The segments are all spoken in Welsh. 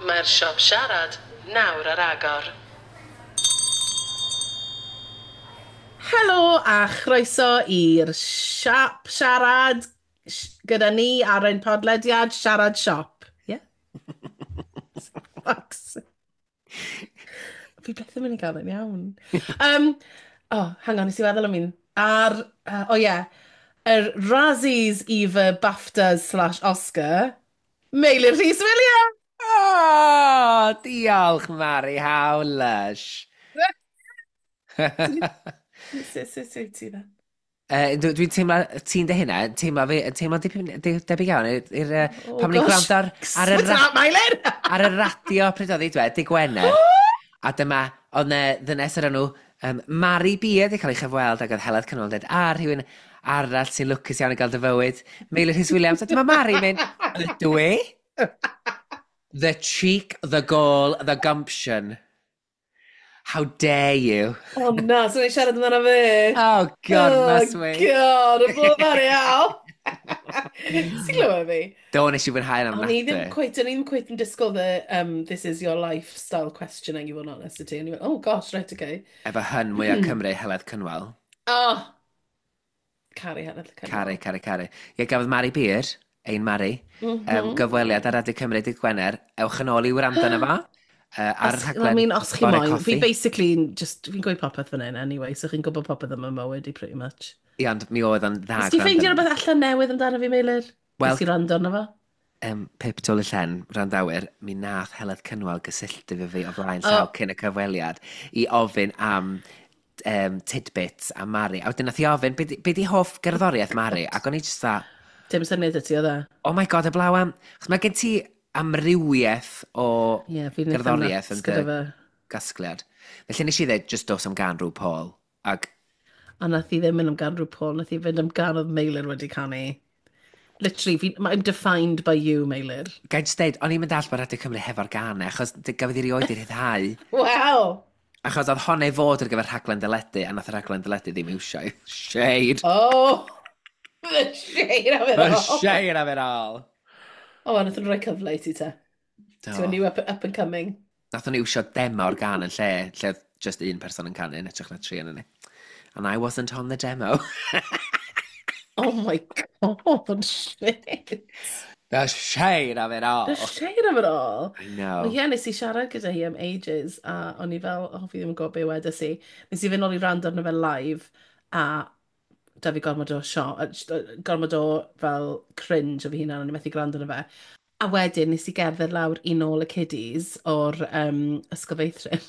Mae'r siop siarad nawr ar agor. Helo a chroeso i'r siop siarad gyda ni ar ein podlediad Siarad Siop. Yeah. Fuck's. Fi beth yn mynd i gael yn iawn. Oh, hang on, nes i feddwl am un. Ar, oh yeah, yr Razzies, Eva, BAFTAs/Oscar, Meilir Rhys Williams! Oh, diolch, Mari, how lush. Sut ti dda? Dwi'n teimlo, ti'n dy hynna, teimlo fi, teimlo dipyn debyg iawn i'r Oh, pan ni'n gosh. gwrando ar, y What's that, Meilir? ar y radio pryd oedd hi, dweud, dydd Gwener. A dyma, oedd 'na ddynes o'r enw Mari Beard wedi cael ei chyfweld ac oedd Heledd Cynwal yn dweud, a rhywun arall sy'n lwcus iawn i gael dy fywyd, Meilir Rhys Williams. A dyma Mari mynd, "Ydw i?" The cheek, the gall, the gumption. How dare you? Oh na, so ni'n siarad amdano fe. Oh, God, must Oh we? God, y bod Mari aw. Ti'n glywed fi? Do, nes i fwynhau'n O'n i ddim ofnadwy. quite, o'n i ddim quite yn disgwyl the "this is your lifestyle" questioning, i fod yn honest i ti. O'n i fel, "Oh gosh, right, okay." Efo hun mwyaf Cymru, Heledd Cynwal. Oh, caru Heledd Cynwal. Caru, caru, caru. Ie, gafodd Mari Beard, ein Mari, gyfweliad ar Radio Cymru dydd Gwener. Ewch yn ôl i wrando arno fo. Ar y Os, rhaglen I mean, os chi Bore moyn, fi Coffi. basically, just, fi'n gweud popeth fan hyn anyway, so chi'n gwybod popeth am y mywyd i pretty much. Ie, ond mi oedd o'n dda Nes ti ffeindio gwrando. rhywbeth allan newydd amdano fi, Meilir? Wel- Nes i rando arno fo? Pip Dwl y Llen, wrandawyr, mi nath Heledd Cynwal gysylltu fo fi o flaen llaw cyn y cyfweliad i ofyn am tidbits am Mari. A wedyn nath i ofyn, be di hoff gerddoriaeth Mari? Ac o'n i just dda, Dim syniad y ti oedd e? "Oh my God, y blaw am." Chos mae gen ti amrywiaeth o Ie, fi'n eitha gerddoriaeth nuts yn gyda dy fe. gasgliad. Felly nes i ddweud, just dos am gan rhyw Paul. Ac A nath i ddim mynd am gan rhyw Paul, nath i fynd am gan oedd Meilir wedi canu. Literally, fi, I'm defined by you, Meilir. Gai just deud, o'n i'n mynd all bod Radio Cymru hefo'r gan, achos gafodd i rioed i rhyddhau. Wow! Achos oedd hon ei fod ar gyfer rhaglen deledu, a nath y rhaglen deledu ddim iwsio. Shade! Oh! The shade of it The all! shade of it all! Oh, a nath nhw rhoi cyfle i ti te. Do. Ti'n new up and coming. Nath nhw iwsio demo o'r gan yn lle, lle oedd just un person yn canu, yn hytrach na tri yn ni. And I wasn't on the demo. Oh my God, shit. The shade of it all! The shade of it all. I know. Wel, ie, nes i siarad gyda hi am ages, a o'n i fel, oh, fi ddim yn gwybod be wedes i. Nes i fynd nôl i rando arno fe live, a da fi gormod o sio, gormod o fel cringe o fi hunan, o'n i methu gwrando arno fe. A wedyn nes i gerdded lawr i nôl y kiddies o'r ysgol feithrin.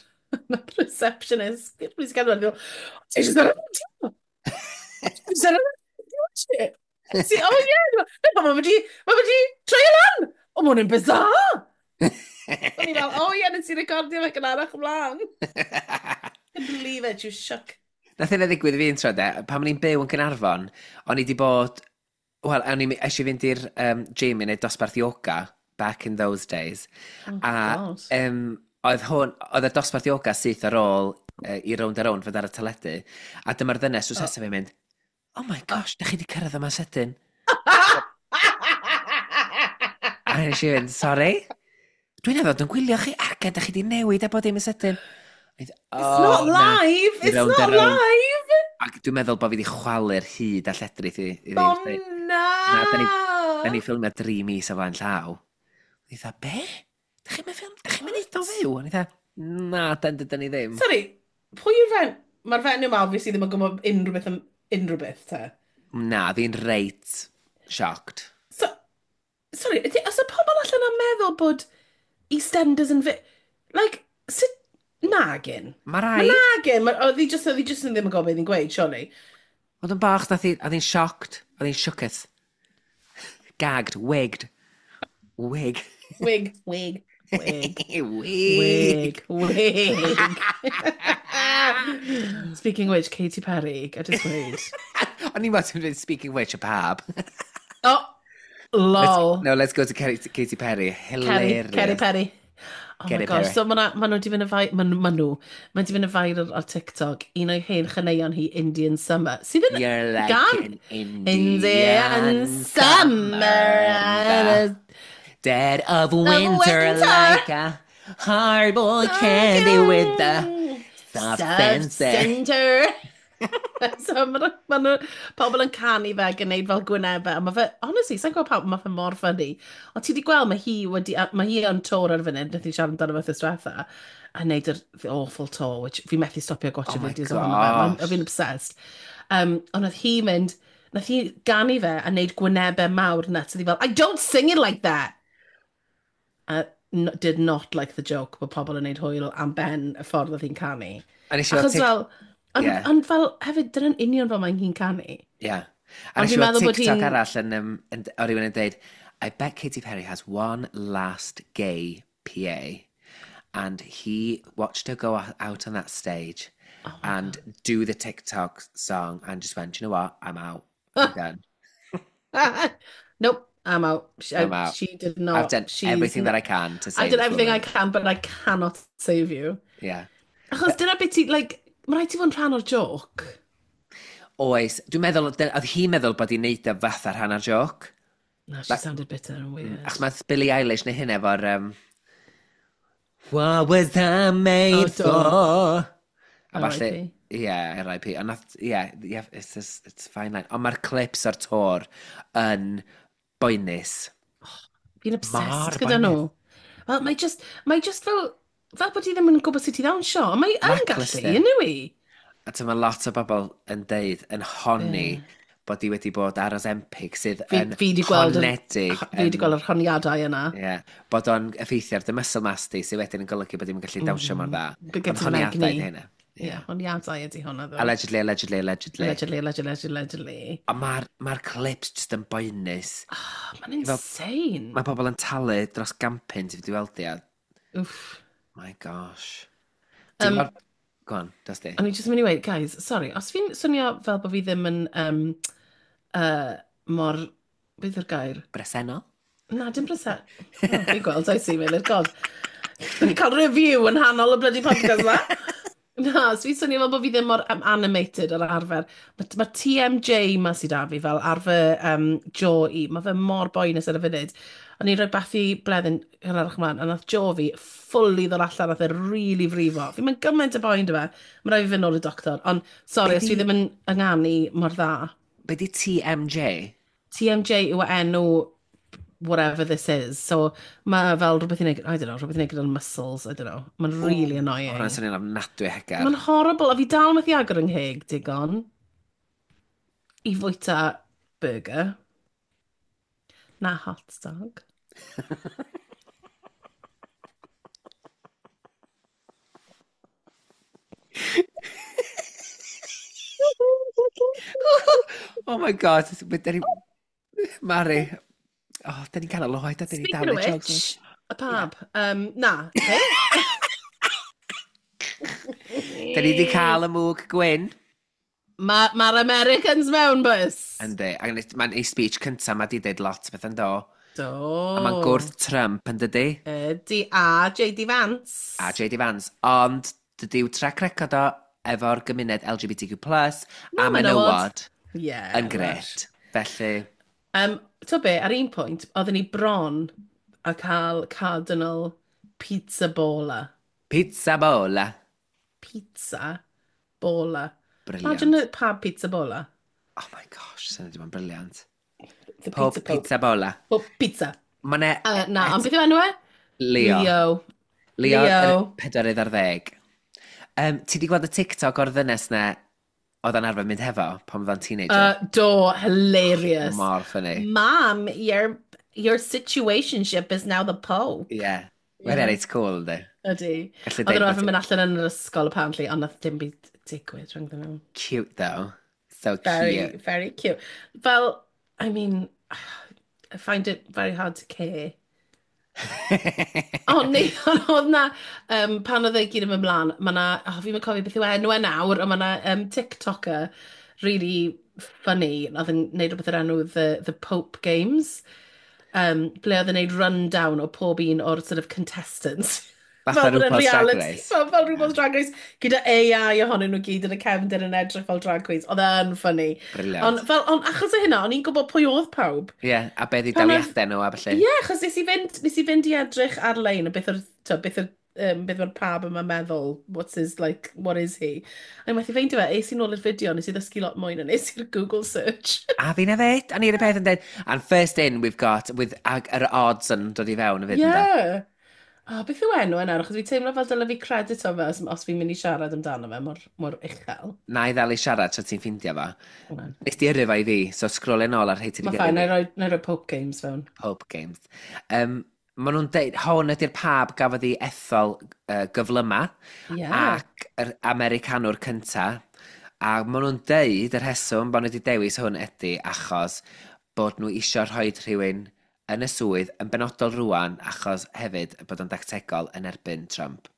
Nath receptionist, nes i gerdded lawr, "Ti eisiau siarad am ti siarad am ti?" Si, "Oh yeah, no, mae wedi troi lan. O, mae hwn yn bizarre." O'n i fel, "Oh yeah, nes i recordio fe gynharach ymlaen." Couldn't believe it, you shook. Nath hynna ddigwydd i fi un tro de, pan o'n i'n byw yn Gaernarfon, o'n i di bod, wel, o'n i eisiau fynd i'r gym i wneud dosbarth yoga, back in those days. Oh, A God. oedd hwn, oedd y dosbarth yoga syth ar ôl i Rownd a Rownd fod ar y teledu. A dyma'r ddynes drws nesaf fi'n mynd, "Oh my gosh, da chi di cyrraedd yma sydyn." A nes i fynd, "Sorry? Dwi'n meddwl, dwi'n gwylio chi, ac da chi di newid a bod dim yn sydyn." It's not live! It's Rownd a not Rownd. live! Ac dwi'n meddwl bod fi wedi chwalu'r hyd a lledrith i fi. Oh, Na, na! Da ni ffilmio 3 mis o flaen llaw. O'n i dda, "Be? Da chi'n mynd ffilm? Da chi'n mynd o fyw?" O'n i dda, "Na, dyn ni ddim." Sorry, pwy yw'r fen... Mae'r fenyw yma obviously ddim yn gwybod unrhyw beth am unrhyw beth, te. Na, fi'n reit shocked. So, sorry, os y pobl allan yn meddwl bod EastEnders yn Like, sut... Nagin. Mae Mae rai. nagin. Oedd hi just yn ddim yn gwybod beth hi'n gweud, surely. Oedd yn bach, nath hi, oedd hi'n shocked. Oedd hi'n shooketh. Gagged, wigged. Wig. Wig, wig, wig. Wig. Wig, wig. Speaking of which, Katy Perry, I just weud. O'n i'n meddwl ti'n dweud "speaking of which", y pab. Oh, lol. Let's, no, let's go to Katy Perry. Kerry, Hilarious. Kerry Perry. Oh my Kerry gosh, Perry. so ma nhw wedi fynd yn ma nhw wedi fynd yn viral ar TikTok, un o'i hen chaneuon hi, Indian Summer, sydd yn You're like gan an Indian, Indian Summer. Dead of winter, winter. Like a hard-boiled candy with the soft Soft center. center. So mae ma nhw, pobl yn canu fe ac yn neud fel gwynebau, a mae fe, honestly, sa'n gwybod pawb, mae fe mor funny. Ond ti wedi gweld, mae hi wedi, mae hi on tour ar y funud, wnaeth hi siarad amdano fe wythnos diwetha, a neud yr the awful tour, which fi methu stopio gwatchio Oh my fideos ohono fe, gosh. Fi'n obsessed. Ond nath hi mynd, nath hi ganu fe a neud gwynebau mawr nuts, a hi fel, "I don't sing it like that!" A no, did not like the joke bod pobl yn neud hwyl am ben y ffordd oedd hi'n canu. A nes i weld Achos fel, ond, ond fel hefyd, dyna'n union fel mae'n hi'n canu. Yeah. A Ond nes i fi'n weld meddwl bod TikTok hi'n- arall yn, o rhywun yn deud, "I bet Katy Perry has one last gay PA and he watched her go out on that stage Oh my and do the TikTok song and just went, 'Do you know what? I'm out. I'm done.' God. Nope, I'm out." She, "I'm out. She did not. I've done She's everything that I can to I save did this everything I woman." can, but I cannot save you. Yeah. Achos dyna beth ti, like, mae rhaid ti fod yn rhan o'r joke. Oes. Dwi'n meddwl, oedd hi'n meddwl bod hi'n neud o fatha rhan o'r joc. No, she sounded bitter and weird. Achos mae Billie Eilish neu hyn efo'r "What was I made Oh, do. for?" A falle. R.I.P. Yeah, R.I.P. Ond nath, yeah, it's a fine line. Ond mae'r clips o'r tour yn boenus. Fi'n obsessed Mor gyda boenus. nhw. Wel, mae just fel bod hi ddim yn gwybod sut i ddawnsio. Ond mae yn gallu, Lackluster. yn yw i? A ti'n mae lot o bobl yn deud, yn honni, bod hi wedi bod ar Ozempic sydd yn Fi 'di gweld honedig. Fi wedi gweld yr honiadau yna. Yeah, bod o'n effeithio ar dy muscle mass di, sydd wedyn yn golygu bod hi'n gallu dawnsio mor dda. Bydd gen Ond ti'r honiadau egni. ydi hynna. Ie, yeah, honiadau ydi hwnna, ddo. Allegedly, allegedly, allegedly. Allegedly, allegedly, allegedly, allegedly. A mae'r ma clips just yn boenus. Oh, mae'n insane. Mae pobl yn talu dros gampyn ti wedi weld di a... Oof. My gosh. Ti'n gweld. Go on, dos di. O'n i jyst yn mynd i weud, guys, sorry, os fi'n swnio fel bod fi ddim yn mor... Beth yw'r gair? Bresennol? Na, dim presen. Oh, fi'n gweld, I see, Meilir, God. Fi'n cael review yn hanol y bloody podcast ma. Na, so fi'n swnio fel bod fi ddim mor animated ar arfer. Mae ma TMJ ma sydd da fi fel ar fy jaw i. Mae fe mor boenus ar y funud. O'n i'n rhoi bathu bleddyn hynarach ymlaen, a nath jaw fi fully ddod allan, nath e really frifo. Fi'n mynd gymaint o boen dy fe. Mae rhaid fi fynd nôl i'r doctor. Ond, sorry, Be os fi di- ddim yn ynganu mor dda. Be di TMJ? TMJ yw enw whatever this is. So mae fel rhywbeth i wneud, I don't know, rhywbeth i wneud gyda'r muscles, I don't know. Mae'n really annoying. Hwna'n swnio'n ofnadwy o hegar. Mae'n horrible, a fi dal methu agor yng ngheg digon i fwyta burger. Na hot dog. Oh my God. Mari. Oh, da ni'n canol oed, a da ni Speaking dal of i jokes. which, y pab. Na. Be? Da ni wedi cael y mwg gwyn. Mae'r ma Americans mewn, bys. Yndi, ac mae'n ei speech cynta, mae di deud lot o beth yn do. Do. A mae'n gwrth Trump yn dydi, Ydy, a J.D. Vance. A J.D. Vance. Ond dydyw track record o efo'r gymuned LGBTQ+, a Na, menywod Yeah. yn gret. Felly, To be, ar un pwynt, oedden ni bron a cael Cardinal Pizza Bola. Pizza bola. Pizza Bola. Brilliant. Imagine a pub Pizza Bola. Oh my gosh, sy'n edrych yn brilliant. The Pob Pizza Pope. pizza bola. Pope Pizza. Mae ne... Na, ond beth yw enw e? Leo. Leo. Leo, Leo. yr 40. Ti di gweld y TikTok o'r ddynes na oedd o'n arfer mynd hefo pan oedd o'n teenager? Do, hilarious. Mor funny. Mom, your situationship is now the Pope. Yeah. Mae'n yeah. reit cool, yndi? Ydy. Gallu Oedd deud nhw bod arfer mynd allan yn yr ysgol, apparently, ond nath dim byd digwydd rhyngddyn nhw. Cute, though. So Very, cute. very cute. Fel, I mean, I find it very hard to care. O, neu, ond oedd na, pan oedd e gyd yn mynd mlaen, mae na, oh, fi'n cofio beth yw enw e nawr, ond mae na TikToker really funny, oedd yn neud rhywbeth o'r enw The Pope Games, ble oedd yn neud rundown o pob un o'r sort of contestants. Fatha Fel bod e'n RuPaul's Drag reality, Race. fel RuPaul's Drag Race, gyda AI ohonyn nhw gyd yn y cefndir yn edrych fel drag queens. Oedd e'n funny. Brilliant. Ond fel, ond achos o hynna, o'n i'n gwybod pwy oedd pawb. Ie, yeah, a beth i Pan oedd- daliadau nhw a Ie, felly. yeah, achos nes i fynd i edrych ar-lein o beth o'r, to, beth o'r, beth o'r pab yma'n meddwl, what's his, like, what is he? A methu ffeindio fe, es i nôl i'r fideo, nes i ddysgu lot mwy na nes i'r Google search. A fi'n hefyd, a ni'r peth yn dweud, and first in we've got, with ag yr odds yn dod i fewn hefyd, ynde? Yeah. Oh, beth yw enw yna? Achos fi teimlo fel dyle fi credit o fe os fi'n mynd i siarad amdano fe mor, mor uchel. Na i ddal i siarad tra ti'n ffindio fo. Hwnna. Nes di yrru fo i fi, so scrollio nôl ar rhai ti Mae wedi fine, gyrru na fi. i roi, na i roi Pope Games fewn. Pope Games. Maen nhw'n deud, hwn ydy'r pab gafodd ei ethol gyflyma ac yr Americanwr cynta. A maen nhw'n deud y rheswm bod nhw wedi dewis hwn ydy achos bod nhw isio rhoi rhywun yn y swydd yn benodol rwan achos hefyd bod o'n dactegol yn erbyn Trump.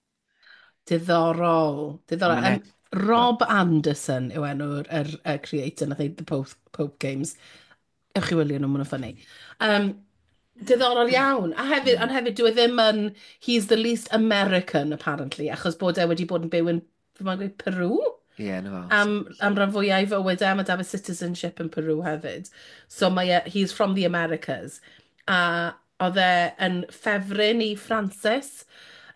Diddorol. Diddorol. Ma' Rob Anderson yw enw'r yr creator nath neud the Pope Games. Ewch i wylio nhw, maen nhw'n funny. Diddorol iawn. A hefyd, ond hefyd, dyw e ddim yn... He's the least American, apparently, achos bod e wedi bod yn byw yn, fi'n meddwl gweud, Peru? Ie, yeah, na fo. Am ran fwyaf ei fywyd e, mae da fe citizenship yn Peru hefyd. So mae e, he's from the Americas. A oedd e yn ffefryn i Francis.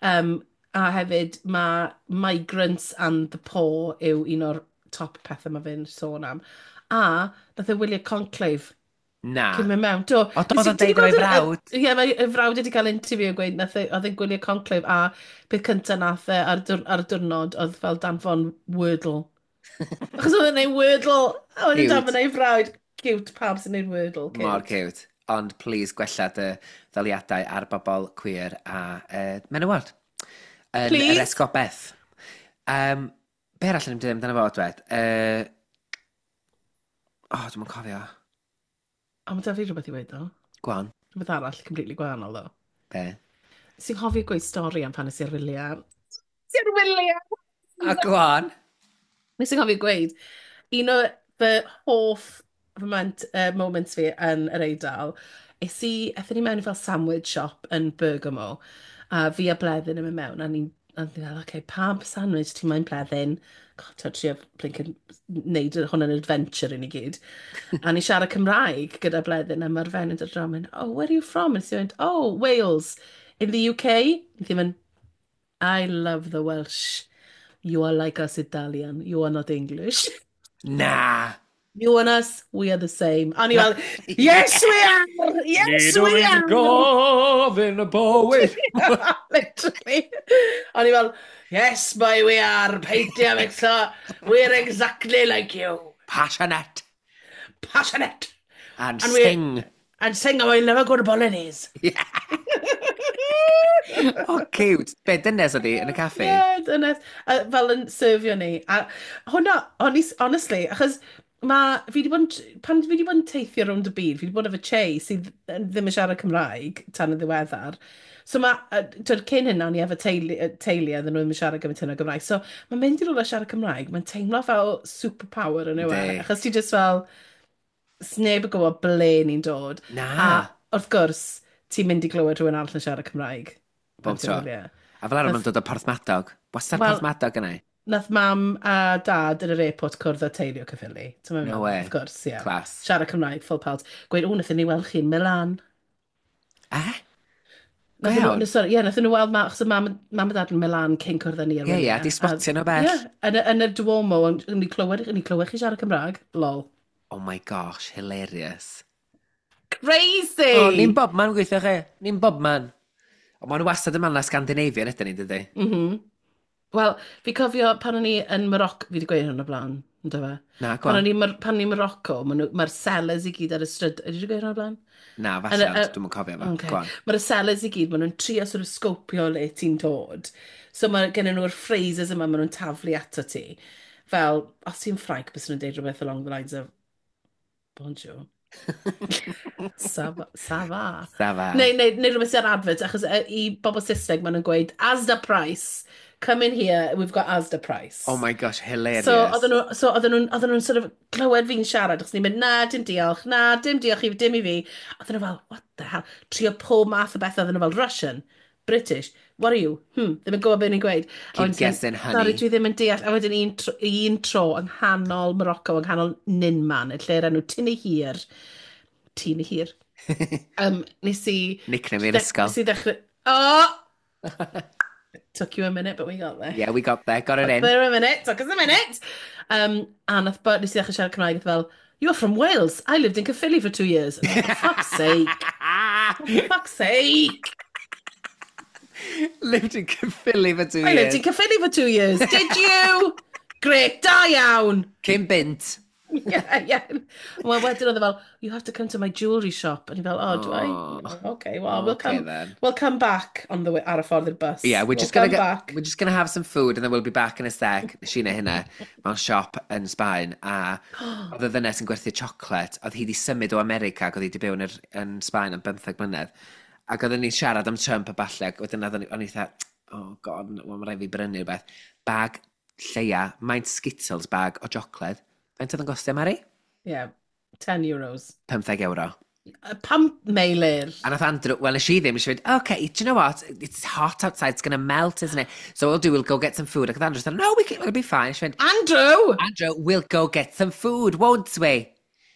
A hefyd mae migrants and the poor yw un o'r top pethau mae fe'n sôn am. A nath e wylio Conclave Na. cyn mynd mewn. Do. O, do, Nes oedd o'n ti 'di deud efo'i gweld frawd. Ie, mae ei frawd wedi cael interview yn gweud nath oedd e'n gwylio Conclave a peth cyntaf nath e ar y diwrnod oedd fel danfon Wordle. Achos oedd e'n neud Wordle a wedyn Cute. danfon ei frawd. Cute, pawb sy'n neud Wordle. Cute. Mor cute. Ond please gwella dy ddaliadau ar bobl queer a menywod. Yn Please. yr esgobaeth. Be arall yn ymdyn amdano fo, dwed? Oh, dwi'm yn cofio. O, mae da fi rhywbeth i weud ddo. Go on. Rhywbeth arall, completely gwahanol ddo. Be? Sy'n cofio gweud stori am pan nes i ar wyliau. Nes i ar wyliau! A go on. Nes i'n cofio gweud, un o fy hoff moments fi yn yr Eidal, es i, aethon ni mewn i fel sandwich shop yn Bergamo, a fi a Bleddyn yn mynd mewn, a ni'n fel, okay, pa sandwich ti'n moyn, Bleddyn? God, ti'n trio blinking neud hwn yn adventure i ni gyd. A ni siarad Cymraeg gyda Bleddyn, a mae'r fenyw yn dod draw yn mynd, "Oh, where are you from?" A nes i mynd, "Oh, Wales, in the UK?" Nes i mynd, "I love the Welsh. You are like us Italian. You are not English." Na. You and us, we are the same. A ni fel, "Yes we are! Yes we are!" Gofyn y bywyd. Literally. A ni fel, "Yes, boy, we are. Peidio mixo. We're exactly like you." Passionate. Passionate. And, And sing. And sing how I love a good bolognese. Oh, cute. Be, dynes oedd hi yn y caffi? Yeah, dynes. A fel yn serfio ni. A hwnna, honestly, achos ma, fi wedi bod yn, pan fi wedi bod yn teithio rownd y byd, fi wedi bod efo Che sydd ddim yn siarad Cymraeg tan y ddiweddar. So mae, twyd, cyn hynna, o'n i efo teulu a ddyn nhw ddim yn siarad gymaint hynna o Gymraeg. So mae'n mynd i rywle siarad Cymraeg, mae'n teimlo fel superpower yn yw e. Yndi. Achos ti just fel, sneb yn gwybod ble ni'n dod. Na. A wrth gwrs, ti'n mynd i glywed rhywun arall yn siarad Cymraeg. Bob Pan ti'n tro. wyliau. A fel arfer ma'n dod o Porthmadog. Wastad Wel- Porthmadog yna. Nath mam a dad yn yr airport cwrdd â teulu o Caerffili. Ti'n No meddwl? way. Of course, ie. Yeah. Class. Siarad Cymraeg, full pelt. Gweud, "O, nathon ni weld chi yn Milan." Eh? Go Nathon nhw, iawn. no, sorry, ie, nathon nhw weld, achos oedd mam a dad yn Milan cyn cwrdd â ni ar Ie, wyliau. di spotio nhw bell. Ie, yn y Duomo, ond ni clywed chi siarad Cymraeg. Lol. Oh my gosh, hilarious. Crazy! Oh, ni'n bob man gweithio chi. Ni'n bob man. Ond maen nhw wastad yn man na Scandinavian ydyn ni, dydy? Wel, fi cofio pan o'n i yn Morocco, fi wedi gweud hwn o blaen, ynddo fe? Na, go Pan on. o'n i pan o'n i Morocco, mae'r sellers i gyd ar y stryd. Ydy wedi gweud hwn o blaen? Na, falle, ond dwi'm yn cofio fo. Okay. Go on. Mae'r sellers i gyd, maen nhw'n trio sort of scopio le ti'n dod. So mae gen nhw'r phrases yma maen nhw'n taflu ato ti. Fel, os ti'n Ffrainc, bys nhw'n deud rhywbeth along the lines of, "Bonjour. Ça va." Ça va. Ça va. Neu rhywbeth sy'n ar advert, achos i bobl Saesneg maen nhw'n gweud, "Asda price. Come in here, we've got Asda price." Oh my gosh, hilarious. So oedden nhw'n sort of clywed fi'n siarad, achos ni'n mynd, "Na, dim diolch, na, dim diolch i, dim i fi." Oedden nhw fel, "What the hell?" Trio pob math o beth, oedden nhw fel, "Russian." British, what are you? Ddim yn gwybod beth ni'n gweud. A Keep wedyn ti'n mynd, guessing, honey. Sorry, dwi ddim yn deall. A wedyn un tro yng nghanol Morocco, yng nghanol Ninman, y lle'r enw Tinihir. Tinihir. Nes i... Nickname i'r ysgol. Nes i ddechrau... Oh! Took you a minute, but we got there. Yeah, we got there, got it in. There a minute, took us a minute. A nath, but nes i ddechrau siarad Cymraeg, nath fel, "You're from Wales. I lived in Caerphilly for 2 years." And I'm like, "For fuck's sake. For fuck's sake." Lived in Caerphilly for 2 "I lived years. in Caerphilly for 2 years." "Did you? Great, da iawn." Cyn bunt. Yeah. Well, wedyn oedd e fel, "You have to come to my jewellery shop." And he fel, "Oh, do I?" Oh. "Okay, well, we'll Okay, come, then. we'll come back on the way, ar y ffordd i'r bus. Yeah, we're We'll just gonna come get, back." we're just gonna have some food and then we'll be back in a sec. Nes i neud hynna mewn siop yn Sbaen a oedd y ddynes yn gwerthu chocolate, oedd hi wedi symud o America ac oedd hi wedi byw yn Sbaen am 15 mlynedd. Ac oedden ni'n siarad am Trump a ballu ac wedyn o'n i fatha, "Oh God, well, mae rhaid fi brynu rhywbeth." Bag lleia, maint Skittles bag o chocolate. Faint oedd yn gostio, Mari? Yeah, €10. 15 euro. Pam Meilir? A nath Andrew, well, nes i ddim, nes i fynd, "Okay, do you know what? It's hot outside, it's going to melt, isn't it? So what we'll do, we'll go get some food." Ac oedd Andrew said, "No, we'll be fine." Nes i fynd, Andrew! "Andrew, we'll go get some food, won't we?"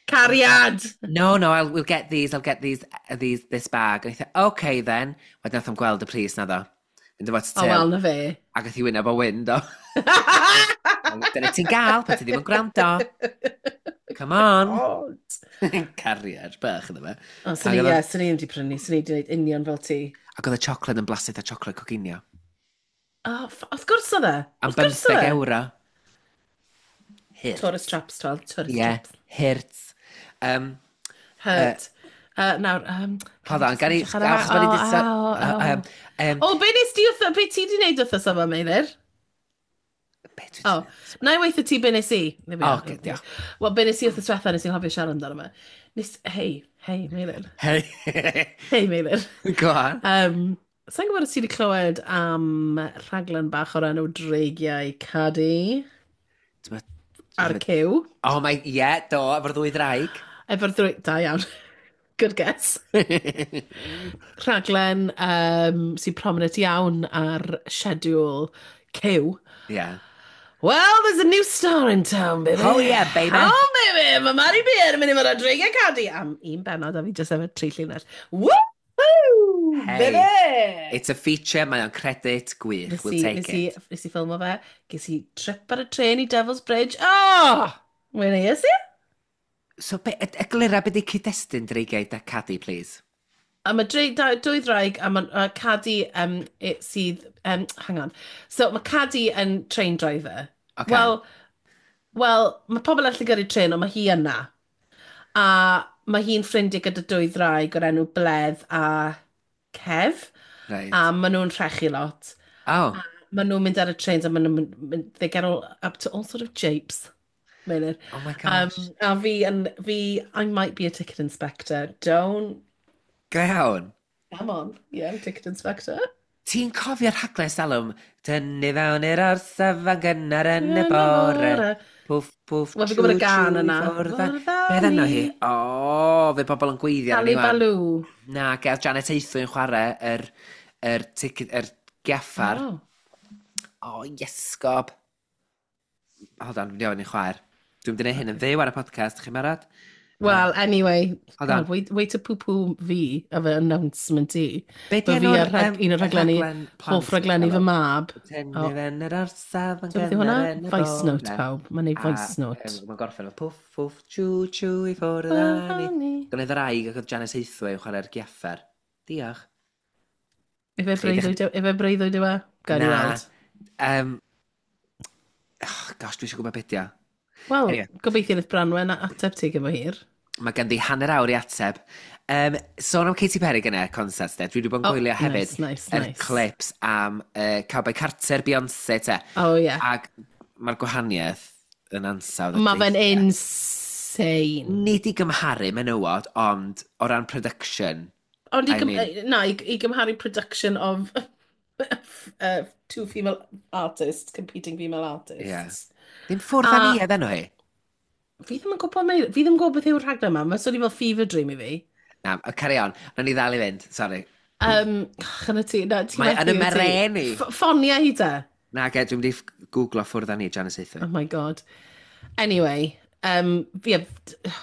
Cariad! No, we'll get these, I'll get these, this bag." And he said, "Okay then." Wedyn nath o'm gweld y pris na ddo. Mynd efo O, til. wel, na fe. Ac oedd hi wyneb o wyn, do. Dyna ti'n gael, pan ti ddim yn gwrando. Come on. God. Cariad, bach iddo fe. O, swn i, Ac oedd o- ie, swn i ddim wedi prynu, swn i wedi gwneud union fel ti. Ac oedd y chocolate yn blasu a chocolate coginio. O, wrth gwrs oedd e. Am Wrth gwrs oedd 15 e. euro. Hurt. Tourist traps, twel, tourist traps. Hurt. Hurt. Nawr, Hold on, gan i... Edrych ar y- Achos bod ni O, 'di o, o. O, be nes di wrtho, be ti di wneud wrthos yma, Meilir? Be dwi O, 'di na i weithio ti be nes i. There we O, are. ocê, diolch. Wel, be nes i wrthos diwetha, nes i'n hoffi siarad amdano fe. Nes, hei, hei, Meilir. Hei. Hei, Meilir. Go on. Sa'n gwybod os ti wedi clywed am rhaglen bach o'r enw Dreigiau Cadi ar Cyw. Oh my, yeah, do, efo'r ddwy ddraig. Efo'r ddwy. Da iawn. Good guess. Rhaglen sy'n prominent iawn ar schedule Cyw. Well, there's a new star in town, baby. Oh yeah, baby. Oh, baby! Mae Mari Beard yn mynd i fod ar Dreigiau Cadi am un benod a fi jyst efo tri llinell. Woohoo! Hey. Baby! It's a feature, mae o'n credit gwych. Nes We'll i, take nes i, it. nes i ffilmo fe, ges i trip ar y trên i Devil's Bridge. Oh! Mae'n eis i? So, be, eglura be di cyd-destun Dreigiau da Cadi, please? A mae dwy ddraig, a mae Cadi sydd... Hang on. So mae Cadi yn train driver. Okay. Wel, mae pobl allu gyrru trên, ond mae hi yna. A mae hi'n ffrindiau gyda dwy ddraig o'r enw Bledd a Kev. A maen nhw'n rhechu lot. Oh. Maen nhw'n mynd ar y trains a maen nhw'n mynd, they get all up to all sort of japes. Meilir. Oh my gosh. A fi, yn, fi, I might be a ticket inspector. Don't, Go iawn. Come on. Yeah, I'm a ticket inspector. Ti'n cofio'r rhaglen salwm? Tynnu fewn i'r orsaf yn gynnar yn y bore. Pwff, pwff, Wel, fi'n gwybod y chw, gan chw, i yna. ffwrdd â- Ffwrdd â Beth enw hi? ni. O, fe pobl yn gweithio ar Sally ni wan. Baloo. Na, gael Janet Aethwy yn chwarae yr ticket, yr giaffar. Oh. O, iesgob. Hold on, dwi'n ofyn i'n chwaer. Dwi'n mynd i wneud hyn yn fyw ar y podcast, chi'n barod? Well, anyway, Hold on. God, wait to poo-poo fi efo announcement i. Be di Bo fi enw'r, ar rhag, un o'r rhaglenni, rhaglen plant hoff rhaglenni fy mab. Tynnu O. fewn yr orsaf yn So beth yw hwnna? gynnar yn y Voice note, bore. pawb. Mae'n neud voice note. Mae'n gorffen o pwff, pwff, chw, chw i ffwrdd â ni. Gwneud yr aig ac oedd Janet Aethwy yn chwarae'r giaffer. Diolch. Ife breuddwyd yw e? Gael i Na. weld. Oh, gosh, dwi eisiau gwybod beth dio. Wel, Anyway. gobeithio wnaeth Branwen ateb ti gyfo hir. Mae ganddi hanner awr i ateb. Sôn am Katy Perry gyda concert, de. Dwi wedi bod yn Oh, gwylio hefyd nice, nice, yr nice. clips am Cowboy Carter, Beyoncé, te. Oh, yeah. Ac mae'r gwahaniaeth yn ansawdd. y Mae fe'n deithiau. insane. Nid i gymharu menywod, ond o ran production. Ond i, I gym mean- na, i gymharu production of two female artists, competing female artists. Yeah. Ddim ffwrdd â ni edden nhw hi. Fi ddim yn gwybod, fi ddim yn gwybod beth yw'r rhaglen yma. Mae'n swnio fel fever dream i fi. Na, carry on. Nawn ni ddal i fynd, sorry. Chyna ti, na, ti Mae yn methu y wyt ti? mereni. Ffonia hi te. Na, ge, dwi'n mynd i googlo ffwrdd â ni, Janice Aethwy. Oh my God. Anyway, yeah,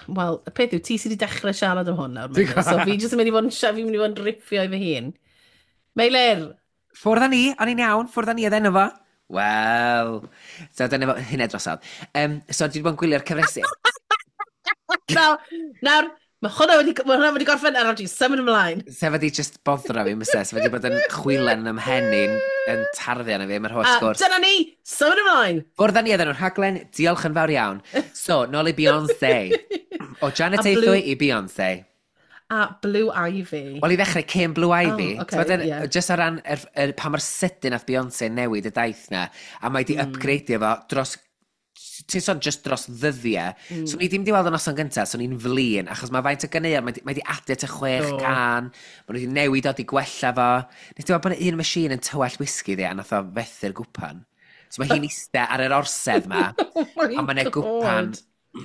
wel, y peth yw, ti sydd wedi dechrau siarad am hwn nawr, Meilir, so fi jyst yn mynd i fod yn, fi'n mynd i fod yn riffio i fy hun. Meilir! Ffwrdd â ni, o'n i'n iawn, ffwrdd â ni oedd enw fo. Wel, so dyna fo, hynna drosodd. So dwi wedi bod yn gwylio'r cyfresi. Nawr, nawr, mae hwnna wedi gorffen, a nawr ti'n symud ymlaen. Sef wedi just boddro fi, mysa. Sef wedi bod yn chwilen yn ymhen i'n yn tarddu arno fi, mae'r holl A sgwrs. dyna ni, symud ymlaen. Ffwrdd â ni oedd enw'r rhaglen, diolch yn fawr iawn. So, nôl i Beyoncé. O Janet A Aethwy i Beyoncé. A Blue Ivy. Wel, i ddechrau, cyn Blue Ivy. Oh, okay, T'mod, ie. Just o ran pa mor sydyn nath Beyoncé newid y daith na, a mae di upgradeio fo dros, ti'n sôn just dros ddyddiau. So ni ddim di weld y noson gyntaf, so ni'n flin, achos mae faint o ganeuon, mae di adio at y 6 Do. can, mae nhw wedi newid o, di gwella fo. Nes ti weld bod 'na un machine yn tywallt whisky ddi, a nath o fethu'r gwpan. So mae hi'n iste ar yr orsedd ma, Oh my a mae'n God. gwpan,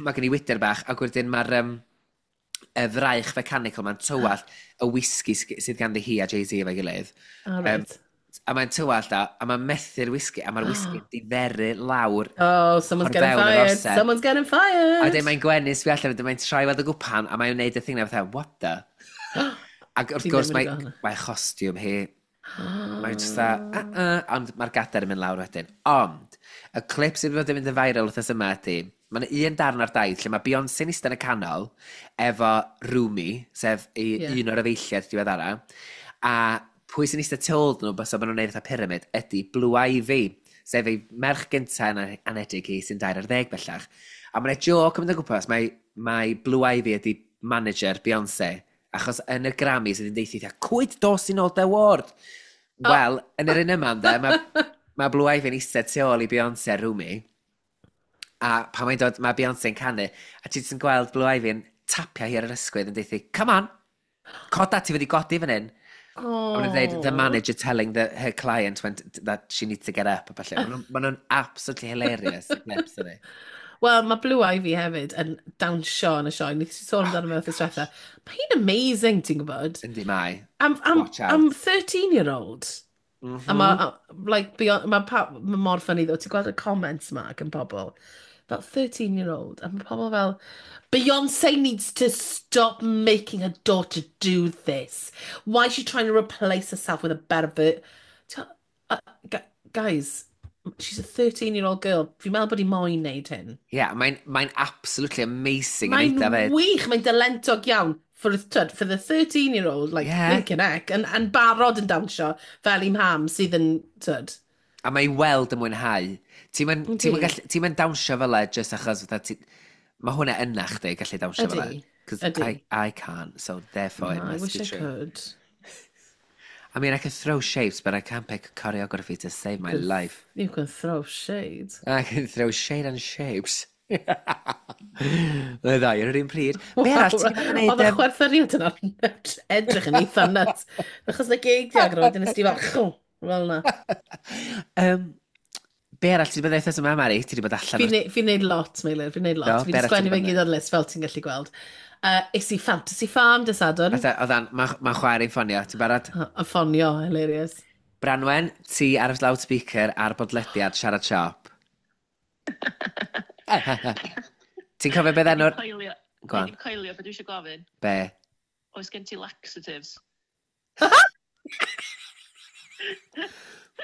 mae gen i wydyr bach, ac wedyn mae'r y fraich mechanical ma'n tywallt y whisky sydd ganddi hi a Jay-Z efo'i gilydd. All right. A mae'n tywallt o, a mae'n methu'r whisky, a mae'r whisky diferu lawr. Oh, someone's o'r getting fewn yr fired. orsedd. Someone's getting fired. A wedyn mae'n gwenu sbio allan, wedyn mae'n troi weld y gwpan, a mae'n gwneud y thing na fatha, "What the?" Ac wrth Fi gwrs ddim mae, wedi gweld hwnna. mae chostiwm hi, mae'n just dda, ond mae'r gadair yn mynd lawr wedyn. Ond, y clip sydd wedi bod yn mynd yn viral wythnos yma ydy, mae'n un darn ar daith lle mae Beyoncé'n eistedd yn y canol efo Rumi, sef i, un o'r efeilliad diweddara, a pwy sy'n eistedd tu ôl nhw, bysa maen nhw'n neud fatha pyramid, ydy Blue Ivy, sef ei merch gyntaf yn anedig hi sy'n 13 bellach. A mae'n joke yn mynd o gwmpas, mae Blue Ivy ydy manager Beyoncé, achos yn y Grammys ydy'n deithi, "Cwyd dos i nôl dy award." Wel, yn yr un yma, ynde, mae Blue Ivy'n eistedd tu ôl i Beyoncé a Rumi, a pan mae'n dod, mae Beyoncé'n canu, a ti jyst yn gweld Blue Ivy'n tapio hi ar yr ysgwydd yn deithi, "Come on, coda, ti wedi godi fan hyn." Oh. A maen nhw'n dweud, "The manager telling her client that she needs to get up," a falle. Maen nhw'n absolutely hilarious, y clips yna. Wel, mae Blue Ivy hefyd yn dawnsio yn y sioe. Nes i sôn amdano fe wythnos diwetha. Mae hi'n amazing, ti'n gwybod? Yndi mae. Am, Watch out. am 13-year-old. A mae, like, beyond, mae mor funny though. Ti'n gweld y comments ma gan pobl. Fel 13-year-old. A mae pobl fel, "Beyoncé needs to stop making her daughter do this. Why is she trying to replace herself with a better Guys, she's a 13-year-old girl. Fi'n meddwl bod hi moyn neud hyn. Ie, yeah, mae'n absolutely amazing yn Mae'n eitha fyd. wych, mae'n dalentog iawn. For, for the 13-year-old, like, blinking heck, and barod yn dawnsio fel i mham sydd yn, tyd. A mae i weld yn mwynhau. Ti'n mynd, Yndi. ti'n gallu, ti'n mynd dawnsio fel e, just achos fatha ti, mae hwnna yna chdi gallu dawnsio fel e. Ydi, Because ydi. I can't, so therefore it I must wish be I true. could. I mean, I can throw shapes, but I can't pick choreography to save my life. You can throw shade. I can throw shade on shapes. Mae ddau yn yr un pryd. Be arall ti'n mynd i Oedd y wneud? chwerthyriad yna edrych yn eitha nuts. Achos na geg di agor, wedyn nes di fel, chw, fel na. Be arall ti'n bod wythnos yma, Mari? Ti wedi bod allan Fi'n neud lot, Meilir, fi'n neud lot. Do, Fi be wedi arall sgwennu ti fe 'di bod gyd ar list fel ti'n gallu gweld. Es i Fantasy Farm dy Sadwrn. Oedd mae chwaer i'n ffonio, ti'n barod? A ffonio, hilarious. Branwen, ti ar y loudspeaker ar bodlediad Siarad Siop. Ti'n cofio beth enw'r Coelio. Go on. Dwi'n coelio beth dwi eisiau gofyn. Be? Oes gen ti laxatives?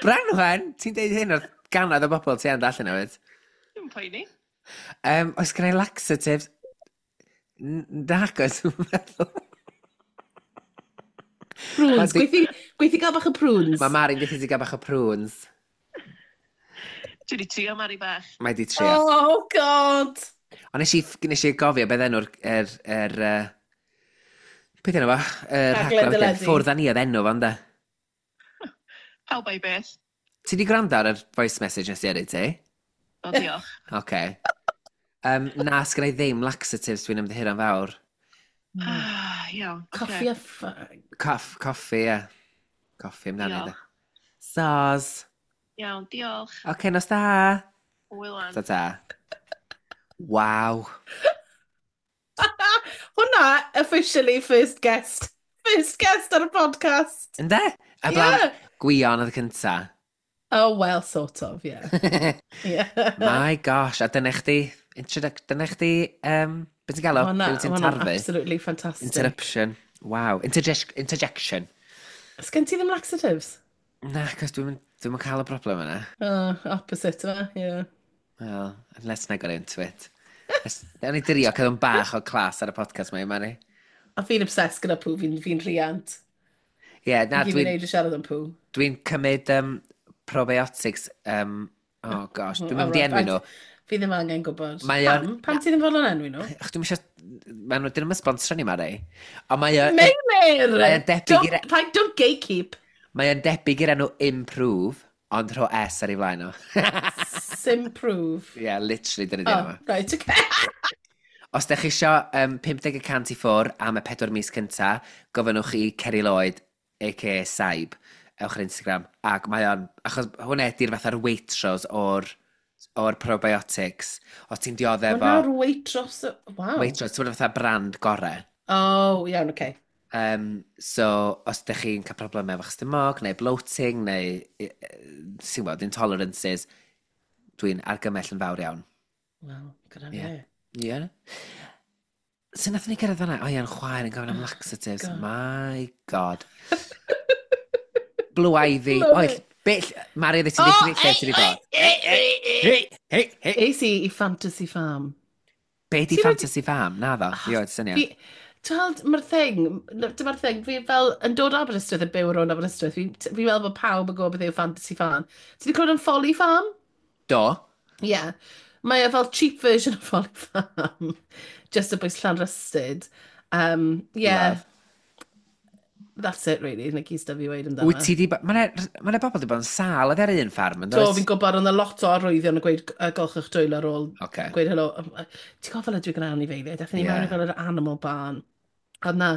Branwen, ti'n deud hyn wrth gannoedd o bobl ti yn allan hefyd. Dwi'n poeni. Oes gen i laxatives? Nac oes, dwi'n meddwl. Prunes, gweithio gael bach o prunes. Mae Mari'n gweithio ti gael bach o prunes. Dwi wedi trio Mari bach. Mae di trio. Oh, God! Ond nes i gofio beth enw'r beth enw fo? Yr Rhaglen rhaglen wedyn. deledu. Ffwrdd â ni oedd enw fo, ynde? Pawb a'i beth. Ti di gwrando ar yr voice message nes i yrru ti? O, diolch. Oce. Na, sgynna i ddim laxatives, dwi'n ymddiheuro'n fawr. Ah, iawn. Ocê. Coffi a Coffi, ie. Coffi amdano Diolch. i. Sos. Iawn, diolch. Oce, nos da. Hwyl wan. Ta ta. Waw. Hwna, officially first guest. First guest ar y podcast. Ynde? A blaen, yeah. Gwion oedd y cynta. Oh, well, sort of, yeah. Yeah. My gosh, a dyna chdi, dyna chdi, beth ti'n galw? Hwnna, Pryd ti'n hwnna'n tarfu? Absolutely fantastic. Interruption. Wow. Interjection. Sgen ti ddim laxatives? Na, cos dwi'n dwi cael y broblem yna. Oh, opposite yma, yeah. Well, let's not get into it. Newn ni drio cael yn bach o class ar y podcast mae, Mari. A fi'n obsessed gyda poo, fi'n rhiant. Ie, yeah, na, Dwi'n dwi'n neud i siarad am poo. Dwi cymryd probiotics, oh gosh, dwi'n mynd i enwi nhw. Fi ddim angen gwybod. Mae o'n- Pam? Pam ti ddim fodlon enwi nhw? Ach, dwi'n eisiau, maen nhw, dyn nhw'n sponsor ni, Mari. Ond mae o'n Meilir! Mae o'n debyg Don't, i'r- don't gatekeep. Mae o'n debyg i'r enw Improve, ond rho S ar ei flaen o. Simprove. Yeah, literally, dyna di Oh, enw. right, okay. Os ydych chi isio 50% i ffwr am y 4 mis cynta, gofynnwch i Kerry Lloyd, a.k.a. Saib, ewch ar Instagram. Ac mae o'n, achos hwnna ydy'r fatha'r Waitrose o'r probiotics. Os ti'n dioddef o Hwnna'r Waitrose. Wow. Waitrose, ti'n fatha brand gore. Oh, iawn, okay. So, os ydych chi'n cael problemau efo'ch stumog, neu bloating, neu, ti'n gwybod, intolerances, dwi'n argymell yn fawr iawn. Wel, gyda Ie. fe. Ie. Yeah. So nath ni gyrraedd fan'na? O ia'n chwaer yn gofyn am laxatives. God. My God. Blue Ivy. Love Oed, it. beth, Mari, ddweud ti'n dweud lle ti wedi bod? Hei, hei, hei. Es i i Fantasy Farm. Be di Ti wedi- Fantasy Farm? Na ddo, fi oed syniad. Ti'n gweld, mae'r thing, dyma'r thing, fi fel yn dod o Aberystwyth yn byw rownd Aberystwyth, fi meddwl bod pawb yn gwybod beth yw Fantasy Farm. Ti wedi clywed am Folly Farm? Do. Yeah. Mae e fel cheap version of Folly Farm. Just a bwys Llanrhystud. Yeah. Love. That's it, really. Na gyd stuff i weud amdano. Wyt ti di... Mae 'na bobl di bod yn sâl oedd ar un ffarm, yn Do, does? fi'n gwybod, ond lot o arwyddion yn gweud golchwch dwylo ar ôl Oce. gweud helo. Ti'n gwybod fel ydw i gyda anifeiliaid? Aethon ni Ie. mewn i fel yr animal barn. Oedd na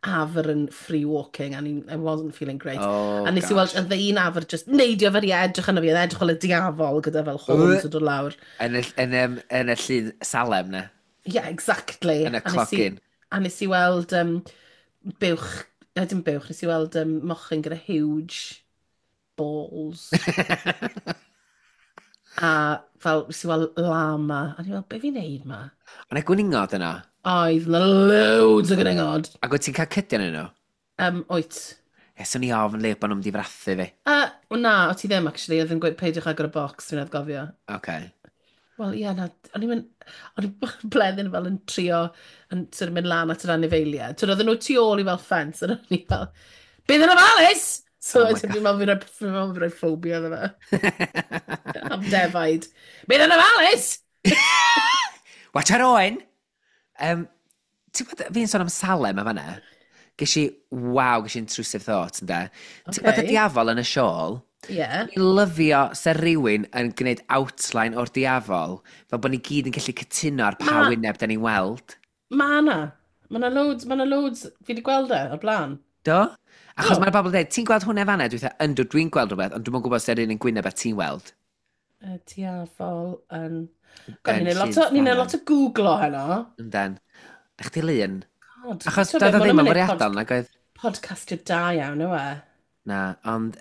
afr yn free walking and I wasn't feeling great. Oh, A nes i weld, gosh. oedd un afr just neidio fel i edrych arno fi, oedd edrych fel y diafol gyda fel horns yn dod lawr. Yn y llun Salem na. Yeah, exactly. Yn y A nes i- clogyn. A nes i weld buwch, dim buwch, nes i weld mochyn gyda huge balls. A fel, nes i weld llama. A ni fel, be fi'n neud ma? Ond y gwningod yno. Oedd na loads o gwningod. Ac wyt ti'n cael cydion yn nhw? Wyt. E, swn i ofn le bod nhw'n mynd i frathu fi. O na, o ti ddim, actually. Oedd yn gweud peidiwch agor y bocs, fi'n gofio. Oce. Wel, ie, na, o'n i'n mynd, o'n i'n bleddyn fel yn trio, yn sort of mynd lan at yr anifeiliaid. Twyd, oedden nhw tu ôl i fel ffens, a o'n i fel, bydd yn ofalus! So, Oh my oh fi'n meddwl fi'n rhoi ffobia iddo fe. Am defaid. Bydd yn ofalus! Watch ar oen! Ti'n gwybod, fi'n sôn am Salem a fan'na. Ges i, waw, ges i intrusive thoughts, ynde? Ti'n gwybod y Ocê. diafol yn y siôl? Ie. Fi'n lyfio se rhywun yn gwneud outline o'r diafol, fel bod ni gyd yn gallu cytuno ar pa wyneb da ni'n weld. Ma na. Ma na loads, ma na loads. Fi wedi gweld e o'r blaen. Do? Achos Do. mae'r bobl yn dweud, ti'n gweld hwnna fan'na? Dwi'n dweud, yndw, dwi'n gweld rhywbeth, ond dwi'n gwybod os ydy'r un yn gwyneb a ti'n weld. Y diafol yn... God, Yn ni'n neud lot Llyn o, ni'n neud Salem. lot o googlo heno. Yndan. Na chdi lun. God. Achos T'o' be, doedd o ma' ddim hwnna'n yn neud fwriadol, nag oedd? Podcastio da iawn, yw e? Na, ond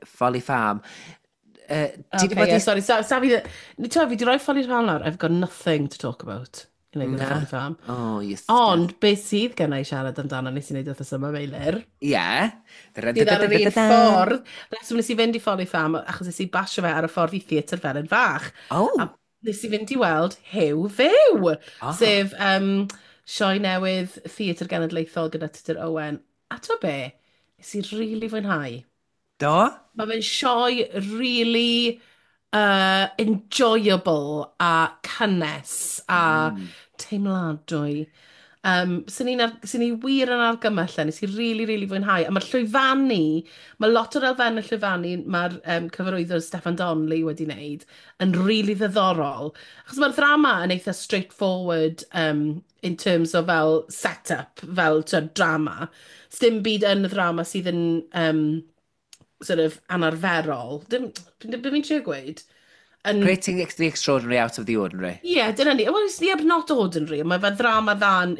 Folly Farm. Ti di Okay, bod yeah, i sorry, sa fi... Ni ti'n fi di roi Folly Farm lawr, I've got nothing to talk about. I wneud gyda Na. Folly Farm. Oh, yes. Ond, beth sydd gen i siarad amdano nes i wneud wythnos yma, Meilir? Ie. Sydd ar yr un ffordd. Reswm nes i fynd i Folly Farm, achos nes i basio fe ar y ffordd i Theatr Felin Fach. Oh. A nes i fynd i weld Huw Fyw, Ah. sef sioe newydd Theatr Genedlaethol gyda Tudur Owen. A to be, nes i really fwynhau. Do? Mae fe'n sioe really enjoyable a cynnes a teimladwy. Swn i wir yn argymell e, nes i really, really fwynhau. A mae'r llwyfannu, mae lot o'r elfennau llwyfannu mae'r cyfarwyddwr Steffan Donnelly wedi wneud yn really ddiddorol. Achos mae'r ddrama yn eitha straightforward in terms o fel set-up, fel t'od, drama. Sdim byd yn y ddrama sydd yn sort of anarferol. Dim, be fi'n trio gweud? Yn... Creating the extraordinary out of the ordinary. Ie, yeah, dyna ni. Well, yeah, but not ordinary. Mae fe ddrama dda yn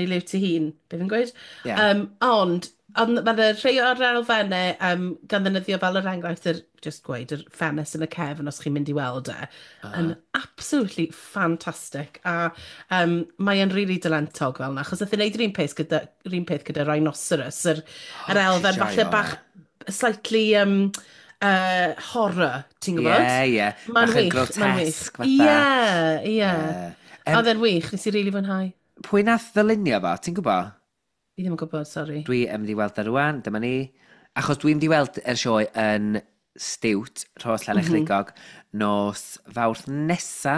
ei liwt ei hun. Be fi'n gweud? Yeah. Ond mae rhai o'r elfennau gan ddefnyddio fel yr enghraifft, just gweud, yr ffenest yn y cefn os chi'n mynd i weld e, yn absolutely fantastic. A mae e'n really dalentog fel yna, achos nath e wneud yr un peth gyda Rhinoceros, yr elfen falle bach slightly horror, ti'n gwybod? Ie. Mae'n Bach yn wych, mae'n wych. grotesque fatha. Ie. Oedd e'n wych, nes i really fwynhau. Pwy nath ddylunio fo, ti'n gwybod? Fi ddim yn gwybod, sori. Dwi yn mynd i weld o rwan, dyma ni. Achos dwi'n mynd i weld yr sioe yn Stiwt, Rhos Llanerchrugog, nos Fawrth nesa.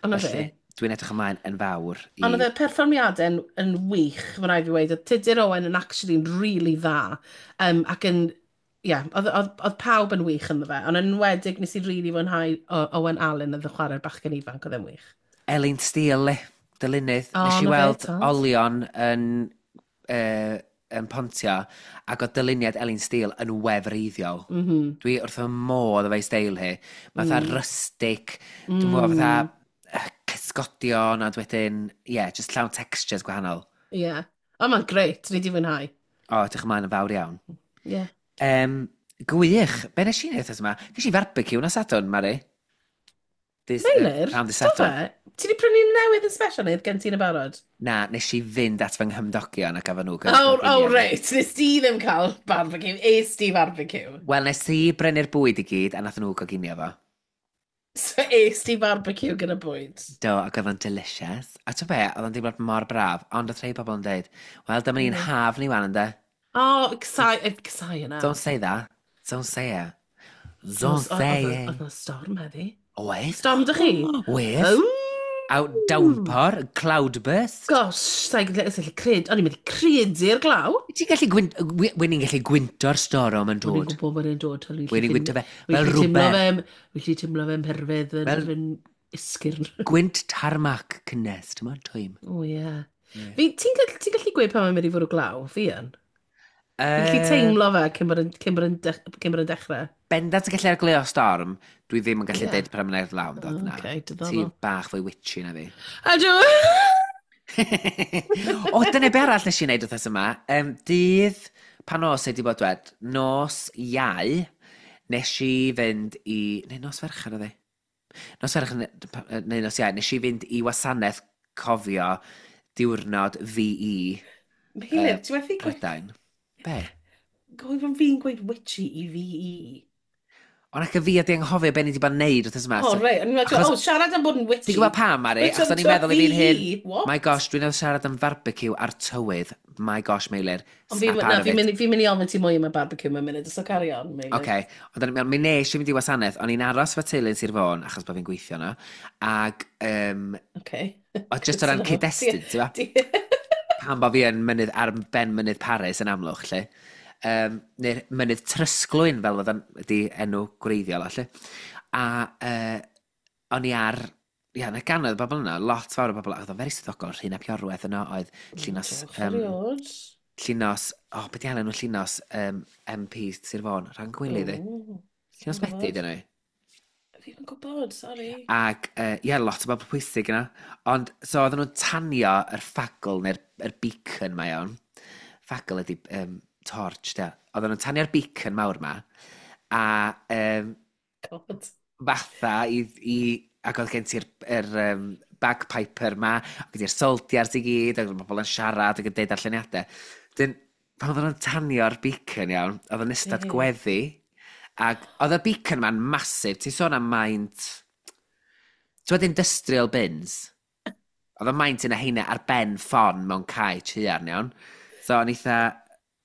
Ond na Felly, fe. dwi'n edrych ymlaen yn fawr. Ond oedd y perfformiadau yn wych, mae'n rhaid fi weud. Oedd Tudur Owen yn actually yn really dda. Ac yn, ie, yeah, oedd pawb yn wych ynddo fe. Ond yn enwedig nes i really fwynhau Owen Allen oedd yn chwarae'r bachgen ifanc, oedd e'n wych. Elin Steele, dylunydd. O, Nes i na fe, weld tod. olion yn Pontio, ac oedd dyluniad Elin Steele yn wefreiddiol. Dwi wrth fy modd efo'i steil hi. Fatha rustic, dwi'n gwybod fatha cysgodion, a wedyn, ie, yeah, just llawn textures gwahanol. Ie. Yeah. O, mae'n grêt, ni di fwynhau. O, edrych ymlaen yn fawr iawn. Ie. Yeah. Gwych. Be nes i wneud wythnos yma? Ges i barbecue nos Sadwrn, Mari. Meilir, Pnawn dydd do Sadwrn. fe? Ti di prynu newydd yn special neu gen ti'n y barod? Na, nes i fynd at fy nghymdogion a gafon nhw Oh, reit. Nes di ddim cael barbecue. Es di barbecue. Wel, nes i brynu'r bwyd i gyd a nath nhw goginio fo. So es di barbecue gyda bwyd. Do, ac oedd o'n delicious. A ti'n be, oedd o'n deimlad mor braf, ond oedd rhai pobl yn dweud, wel, dyma ni'n haf ni wan, ynde? Oh, casáu yna. Don't say that. Don't say it. Don't say it. Oedd 'na storm heddi. Oedd? Storm dych chi? Oedd. Oh! Out downpour, cloudburst. Gosh, sa'n gallu cred... O'n i'n mynd i credu'r glaw. Ti'n gallu gwynt... Wyn ni'n gallu gwynto'r storm yn O'n i'n dod. gwybod bod e'n dod. Wyn ni'n gwynto fe fel rwber. Wy'n gallu teimlo fe'n perfedd yn esgyrn. Gwynt tarmac cynnes, ti'n modd, twym. O, ie. Ti'n gallu gweud pan mae'n mynd i fwrw glaw? Fi yn. Fi'n gallu teimlo fe cyn bod yn dechrau. Bendant yn gallu argleo storm, dwi ddim yn gallu deud pan mae'n law yn dod na. Ocê, diddorol. Ti bach fwy witchy na fi. Ydw! O, dyna be arall nes i wneud wythnos yma. Dydd, pan nos wedi bod dwed, nos Iau, nes i fynd i... Neu nos Fercher oedd hi? Nos Fercher neu nos Iau, nes i fynd i wasanaeth cofio diwrnod VE Meilir, ti methu gweud... Prydain. Be? Gofyn pan fi'n gweud witchy i VE. Ond ac y fi ydi anghofio be ni wedi bod yn neud wythnos yma. O, reit. O'n i'n meddwl, Achos- o, siarad am bod yn witchy. Ti'n gwybod pam, Mari? Which Achos o'n i'n meddwl i fi'n hyn, VE? What? my gosh, dwi'n meddwl siarad am barbecue a'r tywydd. My gosh, Meilir. Ond fi, Snap na, out of fi'n it. mynd i ofyn ti mwy am y barbecue mewn munud, so carry on, Meilir. Oce, ond o'n i'n meddwl, mi nes i fynd i wasanaeth, o'n i'n aros fy teulu yn Sir Fôn, achos bod fi'n gweithio yno, ac Okay. oedd just o ran cyd-destun, ti'n gwbod? Pam bod fi yn mynydd, ar ben mynydd Paris yn Amlwch, lle. Neu'r mynydd Trysglwyn, fel oedd ydi enw gwreiddiol, lle. A o'n i ar, ia, na gannoedd o bobl yno, lot fawr o bobl, oedd o'n very swyddogol, Rhun ap Iorwerth yno, oedd Llinos, Erioed. Llinos, o, oh, beth i enw Llinos, MP Sir Fôn, rhan gwyli, ddi. O, Llinos sai'n Medi, gwbod. dyn nhw. Fi ddim yn gwybod, sorry. Ac, ie, lot o bobl pwysig yna. Ond, so oedden nhw'n tanio yr ffagl neu'r yr beacon ma iawn. Ffagl ydi torch, de. Oedden nhw'n tanio'r beacon mawr ma. A God. fatha i ac oedd gen ti'r bagpiper ma, ac gen ti'r soldiers i gyd, ac oedd bobl yn siarad ac yn deud darlleniadau. Dyn, pan oedden nhw'n tanio'r beacon iawn, oedd yn ystod gweddi, ac oedd y beacon ma'n masif, ti'n sôn am maint, ti'n gwbod industrial bins? Oedd y maint yna heina ar ben ffon mewn cae tuarn iawn. So o'n eitha,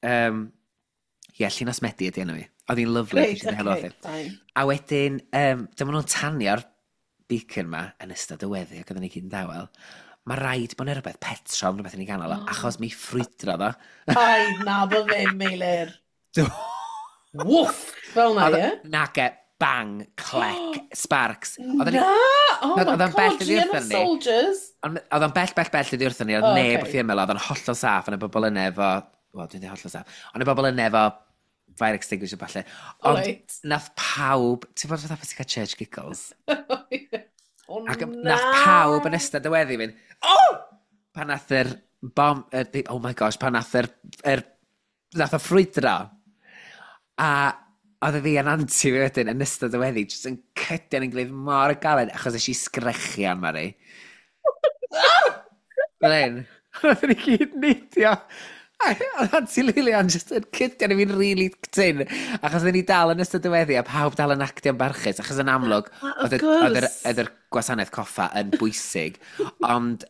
ie, Llinos Medi ydi enw i. Oedd hi'n lyfli. Reit, nes i helo okay, wrthi. fine. A wedyn, dyma nhw'n tanio'r beacon ma yn ystod y weddi ac oedden ni gyd yn dawel. Mae rhaid bod yna rhywbeth petrol, rhywbeth yn ei ganol o, achos mi ffrwydrodd o. Ai, na, bo ddim, Meilir. Woof! Fel na, ie? Nage, bang, clec, sparks. Oedden ni- Na! Oh my Oedd o'n bell god, oddi Gianna wrthon ni. Soldiers! Ond oedd o'n bell, bell, bell oddi wrthon ni, oedd O, neb ocê. wrth i ymyl, oedd o'n hollol saff, ond y bobl yna efo, wel, dwi'n dweud hollol saff, ond y bobl yna efo Fire extinguisher falle. Ond Right. nath pawb, ti'n bod fatha beth ti'n cael church giggles? Oh, Ac na! nath pawb yn ystod y weddi fynd, oh! Pan nath yr bom, oh my gosh, pan nath yr nath o ffrwydro. A oedd y fi a'n anti fi wedyn yn ystod y weddi, jyst yn cydian yn gilydd mor galed, achos es i sgrechian, Mari. Fel hyn. Roedden ni gyd neidio. A oedd Auntie Lilian jyst yn cydian i fi'n really tyn. Achos oedden ni dal yn ystod y weddi a pawb dal yn actio'n barchus. Achos yn amlwg, Ah, of oedd oedd course. oedd yr gwasanaeth coffa yn bwysig. Ond,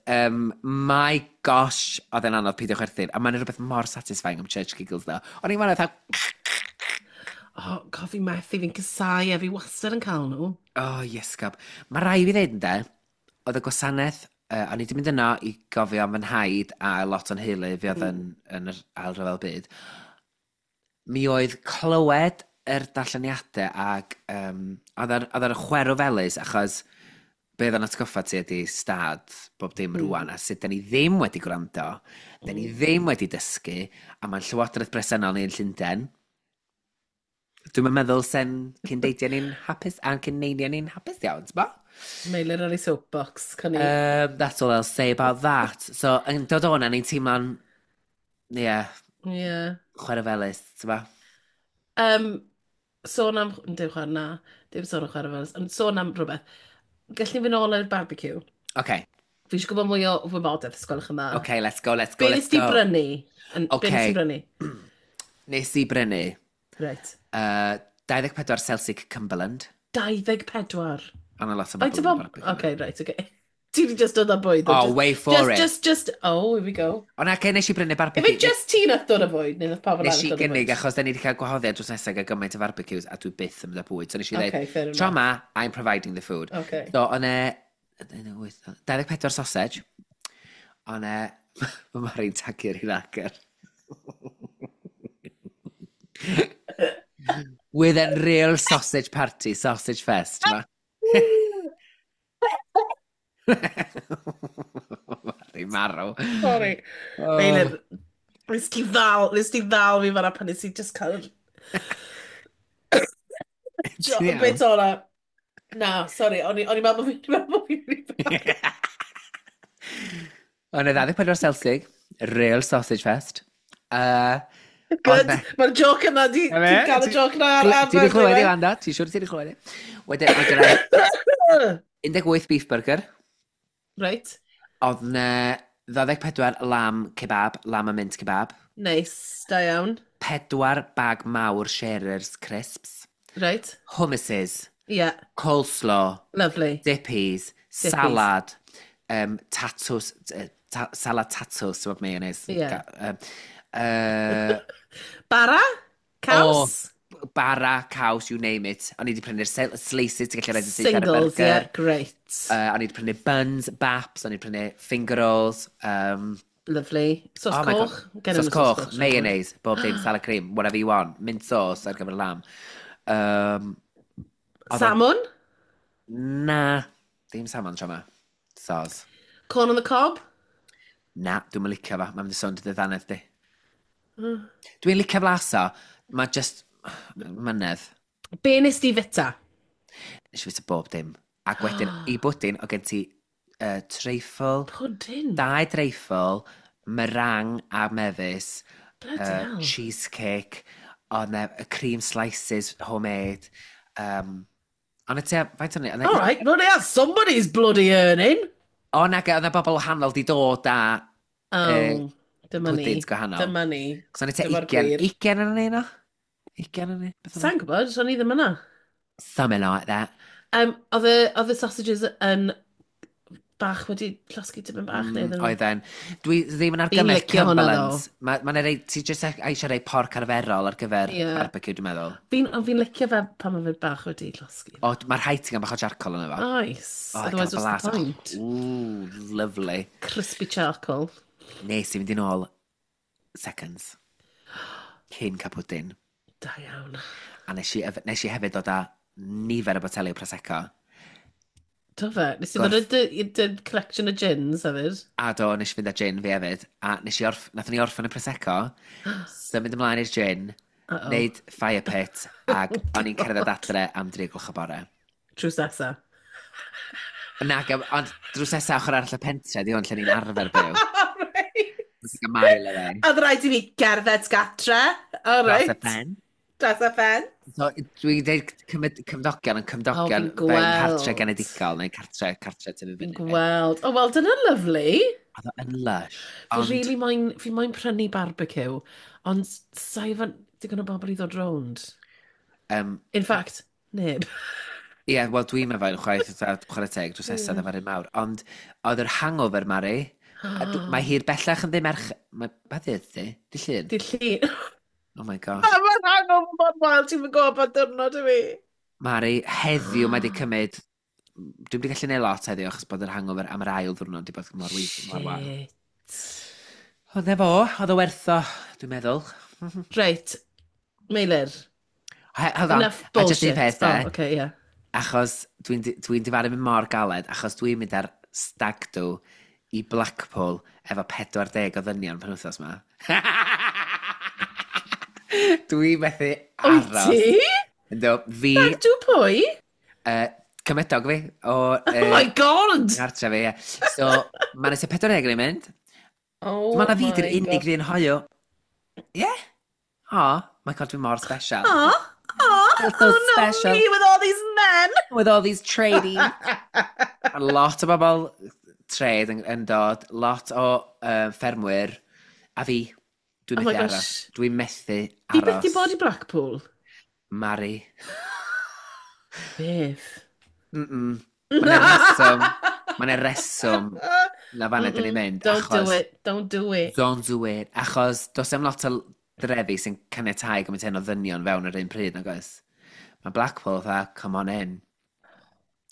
my gosh, oedd e'n anodd peidio chwerthin. A mae'n rhywbeth mor satisfying am church giggles, though. O'n i'n meddwl, fatha, Oh, god, fi methu, fi'n casau e, fi wastad yn cael nhw. Oh, yes, gab. Mae rai fi ddeud, ynde, oedd y gwasanaeth, o'n i wedi mynd yno i gofio am fy nhaid a lot o'n heulu fi oedd yn yr ail ryfel byd. Mi oedd clywed yr darlleniadau ac oedd ar chwerw felys achos be oedd yn atgoffa ti ydy stad bob dim rwan a sut da ni ddim wedi gwrando, da ni ddim wedi dysgu, a mae'n llywodraeth bresennol ni yn Llundain. Dwi'n meddwl sen cyn-deidiau ni'n hapus a'n cyn-neiniau ni'n hapus iawn, ti'n bo? Meilir ar ei soapbox, cynni. That's all I'll say about that. So, yn dod o'na, ni'n teimlo'n, ie, yeah, chwerw felys, ti'n bo? Sôn am... Dim chwer, na. Dim sôn am chwerw felys, ond sôn am rhywbeth. Gallwn ni fynd nôl i'r barbecue? Okay. Fi eisiau gwybod mwy o wybodaeth, os gwelwch yn dda. Okay, let's go, let's go, Be let's nes di go. brynu? Be nes Okay. di brynu? Nes i brynu 24 Celtic Cumberland. 24. Ond a lot o Faint o bobl yn bob... barbecue. Okay, right, okay. Ti di just dod â bwyd. Oh, just, wait for just, it. Just, oh, here we go. Ond ac nes i brynu If barbecue. it just ti nath dod â bwyd, neu nath pawb Nes arall i dod â gynnig, bwyd? achos da ni wedi cael gwahoddiad drws nesaf gael gymaint o barbecues, a dwi byth yn mynd â bwyd. So nes i Okay, dweud, fair tro enough. ma, I'm providing the food. Okay. So, o'n e... 24 sausage. O'n e... Mae Mari'n tagu'r un agor. With a real sausage party, sausage fest, ma. Mari marw. Sorry. Oh. Meilir, nes ti ddal fi fan'na pan nes i just cael Ti'n iawn? bit ola. Na, sorry, o'n i'n meddwl bod fi'n mynd i O'n e 24 Celtic, real sausage fest. Good, mae'r joc yna, di Na fe? ti'n cael y joc yna ar Ti wedi clywed i ar Landa? Ti'n siŵr ti wedi clywed i? Wedyn, oedd yna 18 beef burger. Right, Oedd yna 24 lamb kebab, lamb a mint kebab. nice, da iawn. 4 bag mawr Sherer's crisps. Right, Hummuses, yeah, coleslaw, lovely. dippies, Dippies. salad, tatws, salad tatws, ti'n bod mayonnaise. Ie. Bara, Bara? Caws? bara, caws, you name it. O'n i wedi prynu'r slices, ti'n gallu rhaid yn syth ar y Singles, burger. yeah, great. O'n i wedi prynu buns, baps, o'n i wedi prynu finger rolls. Lovely. Sos Oh my God. coch? Gen Sos nhw coch, siŵr. mayonnaise, bob dim, salad cream, whatever you want. Mint sauce ar gyfer y lamb. Oedd Salmon? Na, dim salmon tro yma. Sos. Corn on the cob? Na, dwi'n licio fo. Mae'n mynd i sôn dy ddannedd di. Dwi'n licio flaso. Mae just mynedd. Be nes di fita? Nes i fita bob dim. Ac wedyn, i bwdin, o gen ti treifl, Pudding. dau dreifl, meringue a mefus, Bloody hell. cheesecake, oedd 'na y cream slices homemade. Ond y te, faint o'n i? All right, well, yeah, somebody's bloody earning. O, nag, oedd 'na bobl wahanol di dod â Oh, dyma ni. pwdins gwahanol. Dyma ni. Cos o'n i te Dyma'r 20, gwir. 20 yn ni, no? 20 yn ni? Beth oedd Sa'n gwybod, o'n i ddim yna. o? Something like that. Oedd y sausages yn bach wedi llosgi tipyn bach neu iddyn nhw? Oedden. Dwi ddim yn Fi'n argymell licio hwnna, Cumberlands. Mae ma rei, ti jyst eisiau rei porc arferol ar gyfer barbecue, dwi'n meddwl. Fi'n licio fe pan mae fe bach wedi llosgi. O, mae'r rhaid ti'n gael bach o charcoal yna fo. Nice. O, Otherwise, gael what's the blas. point? Ooh, lovely. Crispy charcoal. Nes i fynd yn ôl seconds. Cyn cael pwdin. Da iawn. A nes i hefyd dod â nifer o boteli o Prosecco. Do fe? Nes i ddod â dy collection o gins hefyd. A do, nes i fynd â gin fi hefyd. A nes i nathon ni orffen y Prosecco. Symud ymlaen i'r gin. Uh-oh. Wneud fire pit, ac Oh, o'n i'n cerdded God. adre am 3 gloch y bore. Drws nesa. Nag, ond drws nesa ochr arall y pentre, di hwn lle ni'n arfer byw. Right. It's like a mile away. Oedd rhaid i fi gerdded gatre. All Dros y right. pen. Dros y pen. So, dwi'n dweud cymdogion yn cymdogion O, fi'n fewn cartre gweld. genedigol neu cartre tyfu Fi'n fyny. gweld. Oh, wel, dyna lovely. Oedd o yn lush. Fi Ond, really moyn, fi moyn prynu barbecue, ond sa'i fan digon o bobl i ddod rownd. In fact, neb. Ie, yeah, wel dwi'n meddwl chwaith, fatha, chwarae teg, drws nesaf efo'r un mawr. Ond oedd yr hangover, Mari, a mae hi'r bellach yn ddim merch. Mae, ba ddydd di? Di Llun? Di Llun. Oh my gosh. Mae'r hangover mor wael, ti'n mynd gwybod diwrnod i fi. Mari, heddiw mae di cymryd. Dwi'n wedi gallu neud lot heddiw achos bod yr hangover am yr ail ddwrnod di bod mor mor wael. Shit. Oedd e fo, oedd o werth o, dwi'n meddwl. Reit, Meilir. Hold on, Enough a just un bullshit. peth de, Oh, okay, yeah. achos dwi'n dwi difaru mynd mor galed, achos dwi'n mynd ar stag do i Blackpool efo 40 o ddynion pan wythnos ma. Dwi'n methu Wyt aros. ti? Yndw, fi, Stag do pwy? Cymydog fi, o Oh my God! Gartre fi, ie. So, mae'n nes i 40 yn mynd. Oh Mae na fi di'r my unig God. ddyn hoyw. Ie? Yeah. Oh, my God, dwi'n mor special. Aw, aw, Feel so oh no, special. me with all these men. With all these tradies. A lot o bobl trade yn dod, lot o ffermwyr, a fi, dwi'n Oh my methu aros. gosh. Dwi'n methu Fi byth aros. di bod i Blackpool. Mari. Beth? Mm-mm. Mae'n reswm, mae'n reswm na fan ydyn ni'n mynd. Don't Achos, do it, don't do it. Don't do it. Achos does dim lot o drefi sy'n caniatáu gymaint hyn o ddynion fewn yr un pryd, nag oes? Mae Blackpool fatha, come on in.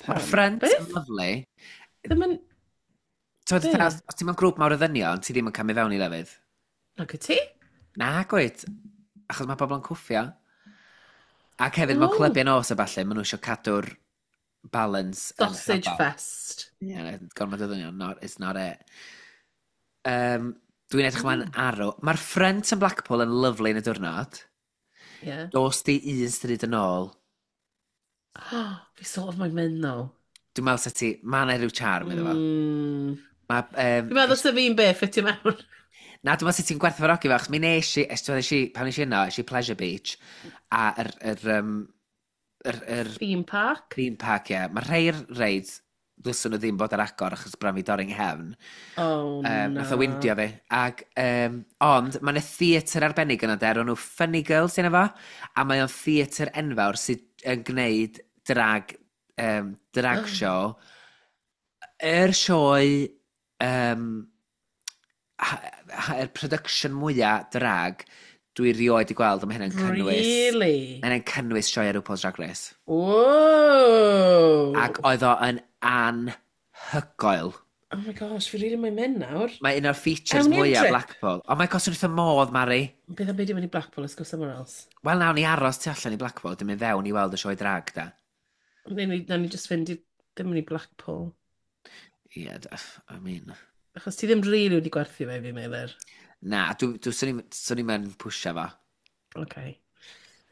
Mae'r Pam? front Beth? yn lovely. Ddim yn. T'mod, Be? fatha, os ti'n mewn grŵp mawr o ddynion, ti ddim yn cael mynd fewn i lefydd. Nag wyt ti? Na, gwyt. Achos mae bobl yn cwffio. Ac hefyd, mewn Oh. clybiau nos a falle, maen nhw eisiau cadw'r balance yn Sausage hafal. fest. Ie, yeah, gormod o ddynion, not, it's not it. Dwi'n edrych ymlaen arw. Mae'r front yn Blackpool yn lovely yn y diwrnod. Yeah. Dos di un stryd yn ôl. Oh, fi sort of moyn mynd though. Dwi'n meddwl sa ti, mae yna rhyw charm iddo fo. Ma, Fi'n meddwl sa fi'n be, ffitio mewn. Na, dwi'n meddwl sut ti'n gwerthfawrogi fe, achos mi nes i, es, nes i, pan nes i yno, es i Pleasure Beach, a yr Theme park. theme park, ie. Mae rhai'r reids, ddylswn nhw ddim bod ar agor achos bron fi dorri'n nghefn. Oh, na. Nath o windio fi. Ag, ond, mae yna theatr arbennig yna der, o'n nhw Funny Girls yna fo, a mae o'n theatr enfawr sydd yn gwneud drag show. Yr sioe, yr production mwyaf drag dwi rioed i gweld, a mae hynny'n cynnwys. Really? Mae hynny'n cynnwys sioe ar RuPaul's Drag Race. Whoa! Ac oedd o yn anhygoel. Oh my gosh, fi really moyn mynd nawr. Mae un o'r features Awn ni am mwyaf trip? Blackpool. Oh my gosh, wrth y modd, Mari. Beth am beidio mynd i Blackpool, let's go somewhere else. Wel, nawn ni aros tu allan i Blackpool, dim mynd fewn i weld y sioe drag, da. Nawn ni just fynd i, ddim mynd i Blackpool. Ie, yeah, I mean. Achos ti ddim really wedi gwerthu fe i fi, Meilir. Na, dwi, swn i'n mynd pwysio fo. Okay.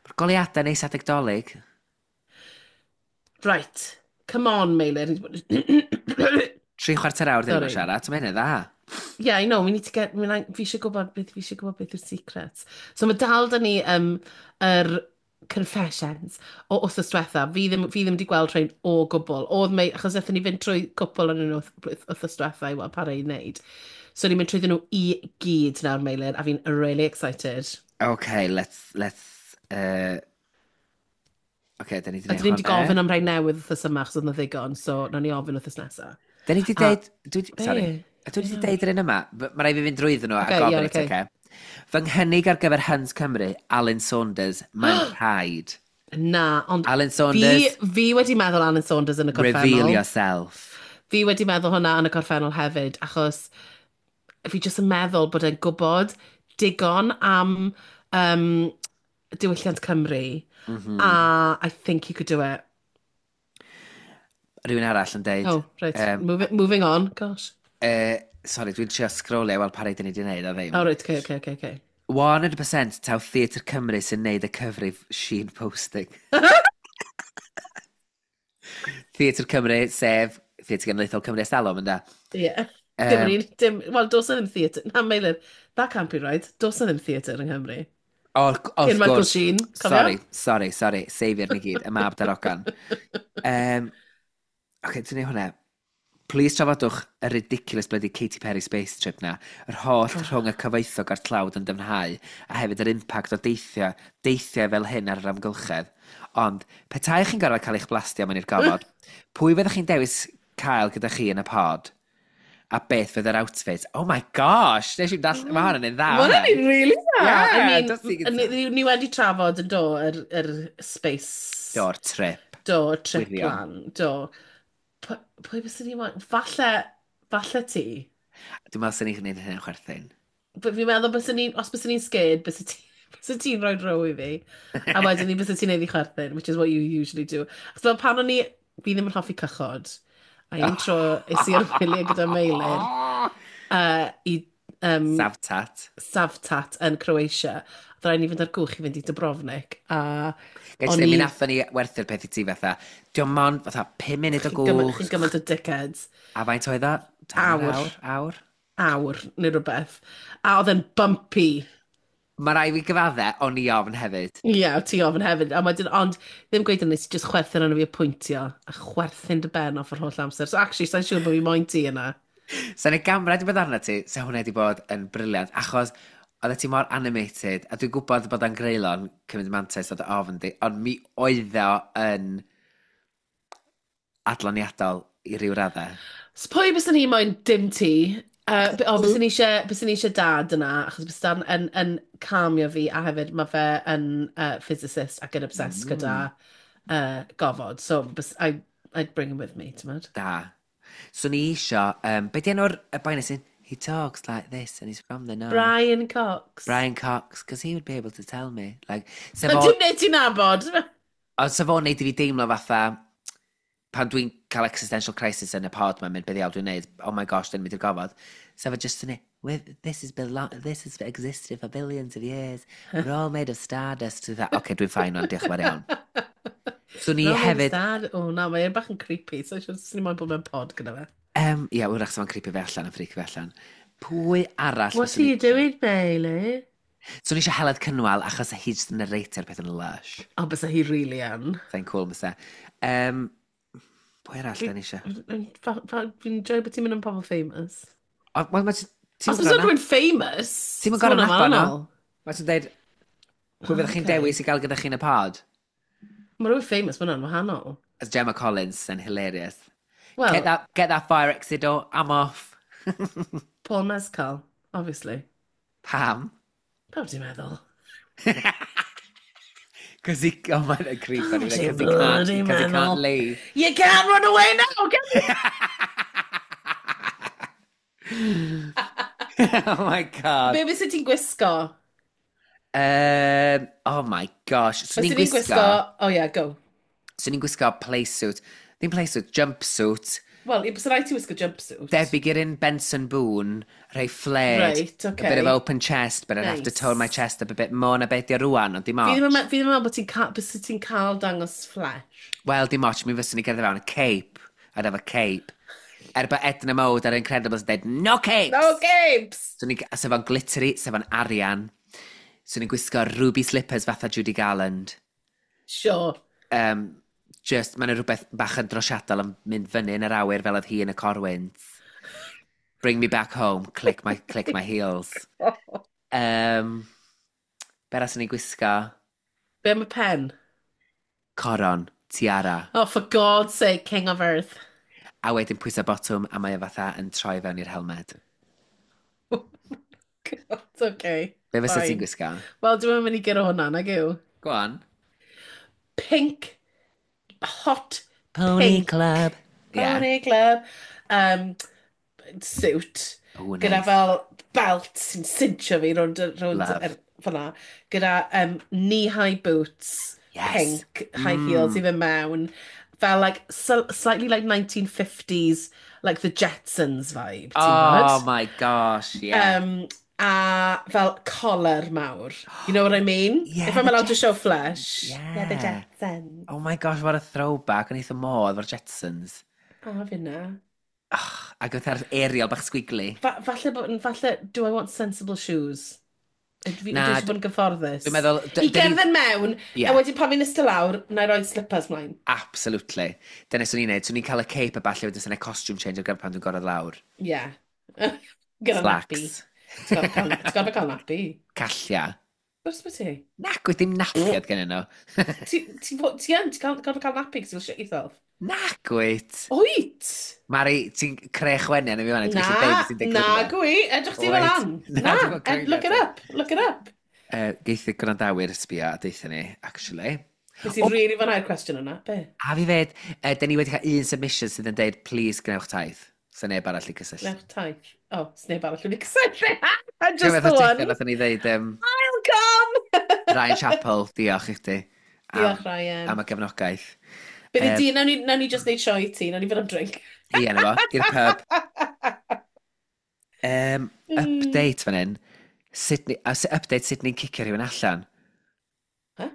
Mae'r goleuadau neis adeg Dolig. Right. Come on, Meilir. 45 awr dyn nhw'n Sorry. siarad, mae'n hynny dda. Yeah, I know, we need to get. Fi eisiau gwybod beth yw'r secrets. So mae dal da ni yr confessions o wythnos diwetha. Fi ddim wedi gweld rhain o gwbl. Oedd mei, achos aethon ni fynd trwy cwpl yn nhw wythnos diwetha i weld pa rai i wneud. So ni'n mynd trwyddyn nhw i gyd nawr, Meilir, a fi'n really excited. Okay, let's. Okay, da ni wedi A dyn ni wedi gofyn am rhai newydd wythnos yma, achos oedd na ddigon, so nawn ni ofyn wythnos nesaf. Da ni wedi deud. Be? Sorry. A dwi wedi deud yr un yma. Mae rhaid fi fynd drwyddyn nhw a Ocê, gofyn iawn, i ti, ocê. oce? Fy nghynnig ar gyfer Huns Cymru, Alun Saunders, mae'n rhaid. Na, ond Alun fi, Saunders, fi wedi meddwl Alun Saunders yn y reveal gorffennol. yourself. Fi wedi meddwl hwnna yn y gorffennol hefyd, achos fi jyst yn meddwl bod e'n gwybod digon am diwylliant Cymru, a I think he could do it. Rhywun arall yn deud. Oh, right. Moving on, gosh. Sorry, dwi'n trio scrollio i weld pa rai dyn ni wedi gwneud a ddim. Oh, right, okay. 100% taw Theatr Cymru sy'n neud y cyfrif Sheen Posting. Theatr Cymru, sef Theatr Genedlaethol Cymru ers talwm, ynda? Ie. Yeah. Dim, dim, wel, does na ddim theatr. Na, Meilir, that can't be right. Does na ddim theatr yng Nghymru. O, wrth Michael Sheen, cofio? Sorry, sorry, sorry. Safio'r ni gyd, y mab darogan. Oce, ti'n neud hwnna. Please trafodwch y ridiculous bloody Katy Perry space trip na. Yr holl rhwng y cyfoethog a'r tlawd yn dyfnhau, a hefyd yr impact o deithio, deithiau fel hyn ar yr amgylchedd. Ond, petai chi'n gorfod cael eich blastio mewn i'r gofod, pwy fyddech chi'n dewis cael gyda chi yn y pod? A beth fydd yr outfit? Oh my gosh! Nes i'n dall... Mae hwn yn un dda. Mae hwn yn really dda. Yeah, I mean, ni, ni wedi trafod yn do, yr space... Do'r trip. Do, trip plan. Do. Pwy bys ni moyn? Falle, falle ti. Dwi'n meddwl sy'n ni'n gwneud hynny'n chwerthin. Fi'n meddwl bys ni, os bys ni'n scared, bys ti, bys ti'n rhoi row i fi. A wedyn ni bys ti'n neud i chwerthin, which is what you usually do. Achos fel pan o'n i, fi ddim yn hoffi cychod. A un tro, es i ar wyliau gyda Meilir i... Savtat. Savtat yn Croatia. Oedd rhaid ni fynd ar gwch i fynd i Dubrovnik. A Gael ti mi nathon ni werthu'r peth i ti fatha. Diolch mond fatha 5 munud o gwch. Chi'n gymaint o dickheads. A faint oedd o? Awr. Awr? Awr? Awr, neu rhywbeth. A oedd e'n bumpy. Mae rai fi gyfadde, o'n i ofn hefyd. Ie, yeah, ti ofn hefyd. A wedyn, ond ddim gweud yn nes i just chwerthin arno fi y pwyntio. A chwerthin dy ben off yr holl amser. So actually, sa'n siŵr bod fi moyn ti yna. Sa'n ei gamera wedi bod arna ti, sa hwnna wedi bod yn briliant, achos oeddet ti mor animated, a dwi'n gwybod bod o'n greulon cymryd mantais o dy ofn di, ond mi oedd o yn adloniadol i ryw raddau. So pwy bys ni moyn dim ti? O, bys ni eisiau dad yna, achos bys dad yn, yn calmio fi, a hefyd mae fe yn physicist ac yn obsessed gyda gofod. So bys, I'd bring him with me, ti'n mynd? Da. So ni isio, be di enw'r y boi sy'n, he talks like this and he's from the north. Brian Cox. Brian Cox, because he would be able to tell me. Like, sef o... Dim neud ti'n nabod. Ond sef o'n neud i fi deimlo fatha, pan dwi'n cael existential crisis yn y pod ma'n mynd, be ddiawl dwi'n neud, oh my gosh, dwi'n mynd i'r gofod. Sef o just yn this has existed for billions of years. We're all made of stardust. Oce, dwi'n fine o'n diolch yn fawr iawn. So ni hefyd... O na, mae'n bach yn creepy, so eisiau ni moyn bod mewn pod gyda fe. Ie, wrach sef o'n creepy fe allan, yn freaky fe allan. Pwy arall... What are you doing, Bailey? So ni eisiau Heledd Cynwal, achos hi jyst yn narrator peth yn lush. O, bysa hi really yn. Sa'n cool, bysa. Pwy arall da ni eisiau? Fi'n joio bod ti'n mynd yn pobl famous. O, wel, mae... Os bysa rhywun famous... Ti'n mynd gorau nabod nhw? Mae ti'n dweud, pwy fyddech chi'n dewis i gael gyda chi'n y pod? Mae rhywun famous, mae hwnna'n wahanol. As Gemma Collins yn hilarious. Well, get that fire exit door, I'm off. Paul Mescal, obviously. Pam? Pam ti'n meddwl? Cos he, oh my, that creep. Oh, because he can't leave. You can't run away now, can you? Oh my God. Be fysa ti'n gwisgo? Oh my gosh. So ni'n gwisgo... Oh yeah, go. So ni'n gwisgo playsuit. Ddim playsuit, jumpsuit. Wel, bysa rhaid ti wisgo jumpsuit. Debyg i'r un Benson Boone, rhai flared. Right, okay. A bit of open chest, but I'd have to tone my chest up a bit more na beth di rwan, ond dim ots. Fi ddim yn meddwl bod ti'n cael dangos flesh. Wel, dim ots, mi fyswn i gerdded fewn a cape. I'd have a cape. Er bod Edna Mode ar Incredibles yn dweud, no capes! No capes! So ni, sef o'n glittery, sef o'n arian. So ni'n gwisgo ruby slippers fatha Judy Garland. Sure. Just, mae'n rhywbeth bach yn drosiadol yn mynd fyny yn yr awyr fel oedd hi yn y corwynt. Bring me back home, click my heels. Be arall ni'n gwisgo? Be am y pen? Coron, tiara. Oh, for God's sake, King of Earth. A wedyn pwysa botwm a mae o fatha yn troi fewn i'r helmed. God, okay. Be fysa ti'n gwisgo? Wel, dwi'n mynd i gyrra hwnna, nag yw? Go on. Pink, hot Pony pink. Club. Yeah. Pony Club. Suit. Oh, nice. Gyda fel belt sy'n cincho fi rownd fyna. Gyda knee-high boots. Yes. Pink, high heels i fynd mewn. Fel like, slightly like 1950s, like the Jetsons vibe. Oh my gosh, yeah. A fel collar mawr. You know what I mean? Yeah, If I'm the allowed to show Jetsons. flesh. Yeah, the Yeah. Jetsons. Oh my gosh, what a throwback. O'n i wrth y modd fo'r Jetsons. A finna. Oh, ac oedd ar aerial bach squiggly. Falle, falle, do I want sensible shoes? Dwi Na, eisiau bod yn gyfforddus. Dwi'n meddwl. I gerdded mewn, Yeah. a wedyn pan fi'n eistedd lawr, na i roi slippers mlaen. Absolutely. Dyna swn i'n neud. Swn i'n cael y cape a falle wedyn sy'n costume change ar gyfer pan dwi'n gorfod lawr. Yeah. Gyda nappy. Slacks. Ti'n gorfod cael nappy. Callia. Gwrs bod ti? Nac, wyt dim napiad gen nhw. Ti yn, ti'n gorfod cael nappy because you'll shit yourself. Nac, wyt. Wyt! Mari, ti'n creu chwenu yn y fi fan. Dwi'n gallu deud Na, beth ti'n digwydd na yma. gwi, edrych ti fel Wyt. an. Na, Na, dwi'n gweld look it ti. up, look it up. Geith y gwrandawyr sbio a deutha ni, actually. Nes i really fwynhau'r cwestiwn yna, be? A fi fed, dyn ni wedi cael un submission sydd yn deud, "Please gwnewch taith." So neb arall i cysylltu. Gwnewch taith. Oh, sneb arall wedi cysylltu. Just Dwi'n the one. Nathon ni ddeud, I'll come! Ryan Chappell, diolch i chdi. Am, Diolch, Ryan. am y gefnogaeth. Bydd i di, nawn ni just neud sioe i ti, nawn ni fynd am drink. Ie, na fo, i'r pub. Update fan hyn. Sydney, a update sut ni'n cicio rhywun allan. Huh?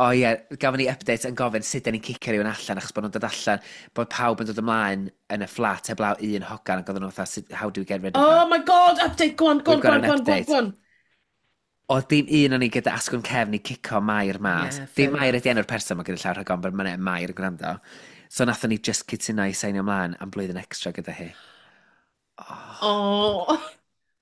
O ie, gafon ni update yn gofyn sut da ni'n cicio rhywun allan achos bod nhw'n dod allan, bod pawb yn dod ymlaen yn y fflat heblaw un hogan ac oedden nhw fatha, "How do we get rid of Oh her?" my God, update, go on, go on, We've got go on, an go on, go on, update. go on. Oedd dim un o'n ni gyda asgwrn cefn i cico Mair mas. Yeah, fair Dim Mair enough. ydi enw'r person mae gyda llaw rhag ofn, but mae'n Mair yn gwrando. So nathon ni just cytuno i seinio ymlaen am blwyddyn extra gyda hi. Oh,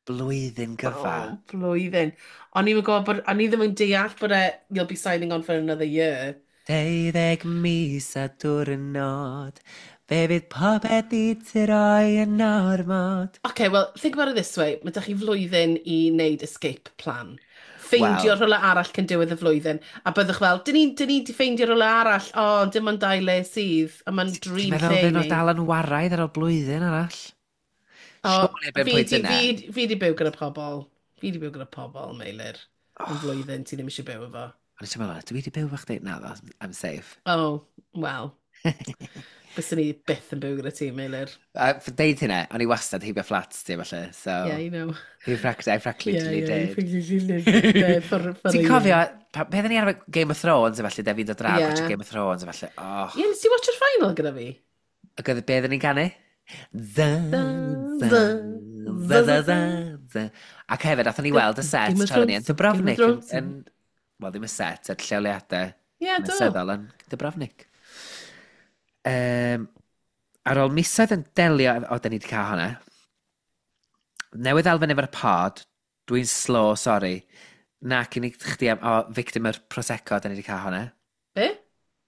Blwyddyn gyfa. oh, blwyddyn. O'n i'n gwybod bod, o'n i ddim yn deall bod e, you'll be signing on for another year. 12 mis a diwrnod, fe fydd popeth i ti roi yn ormod. Okay, well, think about it this way. Mae dych chi flwyddyn i wneud escape plan. Ffeindio Wel. rhywle arall cyn diwedd y flwyddyn. A byddwch fel, dyn ni di ffeindio rhywle arall. O, oh, dim ond dau le sydd. A mae'n Ti'n dream meddwl lle fyd nhw ni. dal yn waraidd ar ôl blwyddyn arall? O, Surely erbyn fi pwynt di, yna. fi di byw gyda pobl. Fi di byw gyda pobl, Meilir. Yn flwyddyn ti ddim eisiau byw efo. O'n i'n meddwl, dwi wedi byw efo chdi? Na, ddo, I'm safe. Oh, well. Byswn ni byth yn byw gyda ti, Meilir. A deud hynna, o'n i wastad heibio fflat ti, falle, so. Yeah, you know. I practically Yeah, you did. practically lived there for a Ti'n year. cofio, beth ni ar Game of Thrones, efallai, de fi'n dod draw, yeah. Yeah. Game of Thrones, efallai, oh. Yeah, nes ti watch-o'r final gyda fi? Ac oedd beth ni'n canu? Dda, Dda, dda, dda, dda, dda, dda. Ac hefyd, athon ni weld y set Game of tra ni yn Thrones, Game of Dubrovnik. Thrones. Wel, ddim y set, y lleoliadau Yeah, do. hanesyddol yn Dubrovnik. Ar ôl misoedd yn delio. O, da ni wedi cael hwnna. Newydd elfen efo'r pod, dwi'n slow, sorry. Na, cyn i chdi am. O, victim yr Prosecco, da ni wedi cael hwnna. Be?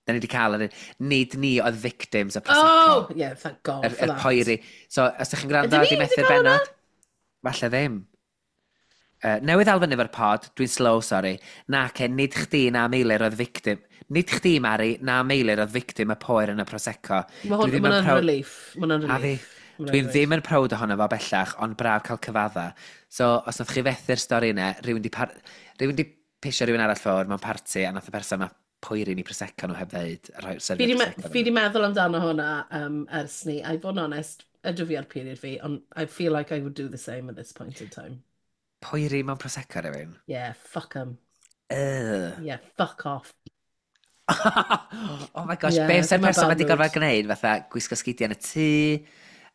Da ni wedi cael yr. Nid ni oedd victims y Prosecco. Oh, yeah, thank God Yr, for yr that. poeri. So, os ydych chi'n gwrando Ydyn a di ni wedi methu'r cael hwnna? bennod, falle ddim. Newydd elfen efo'r pod, dwi'n slow, sorry. Na, ce, nid chdi na Meilir oedd victim. Nid chdi, Mari, na Meilir oedd victim y poer yn y Prosecco. Mae hwn, Dwi ddim ma' yn hwnna'n relief. Mae hwnna'n A fi, relief. Ma' hwnna'n dwi'n relief. ddim yn proud ohono fo bellach, ond braf cael cyfadda. So, os nath chi fethu'r stori yna, rhywun di pisio rhywun arall ffwrdd mewn parti, a nath y person yma poeri ni Prosecco nhw heb ddeud, a rhoi Fi serfio di, me Prosecco. fi di meddwl amdano hwnna ers ni. A i fod yn onest, ydw fi ar period fi, ond I feel like I would do the same at this point in time. Poeri mewn Prosecco rhywun? Yeah, fuck 'em. Ugh. Yeah, fuck off. Oh my gosh, Yeah, be sy'r dyma person bad wedi gorfod mood. gwneud, fatha gwisgo sgidiau yn y tŷ,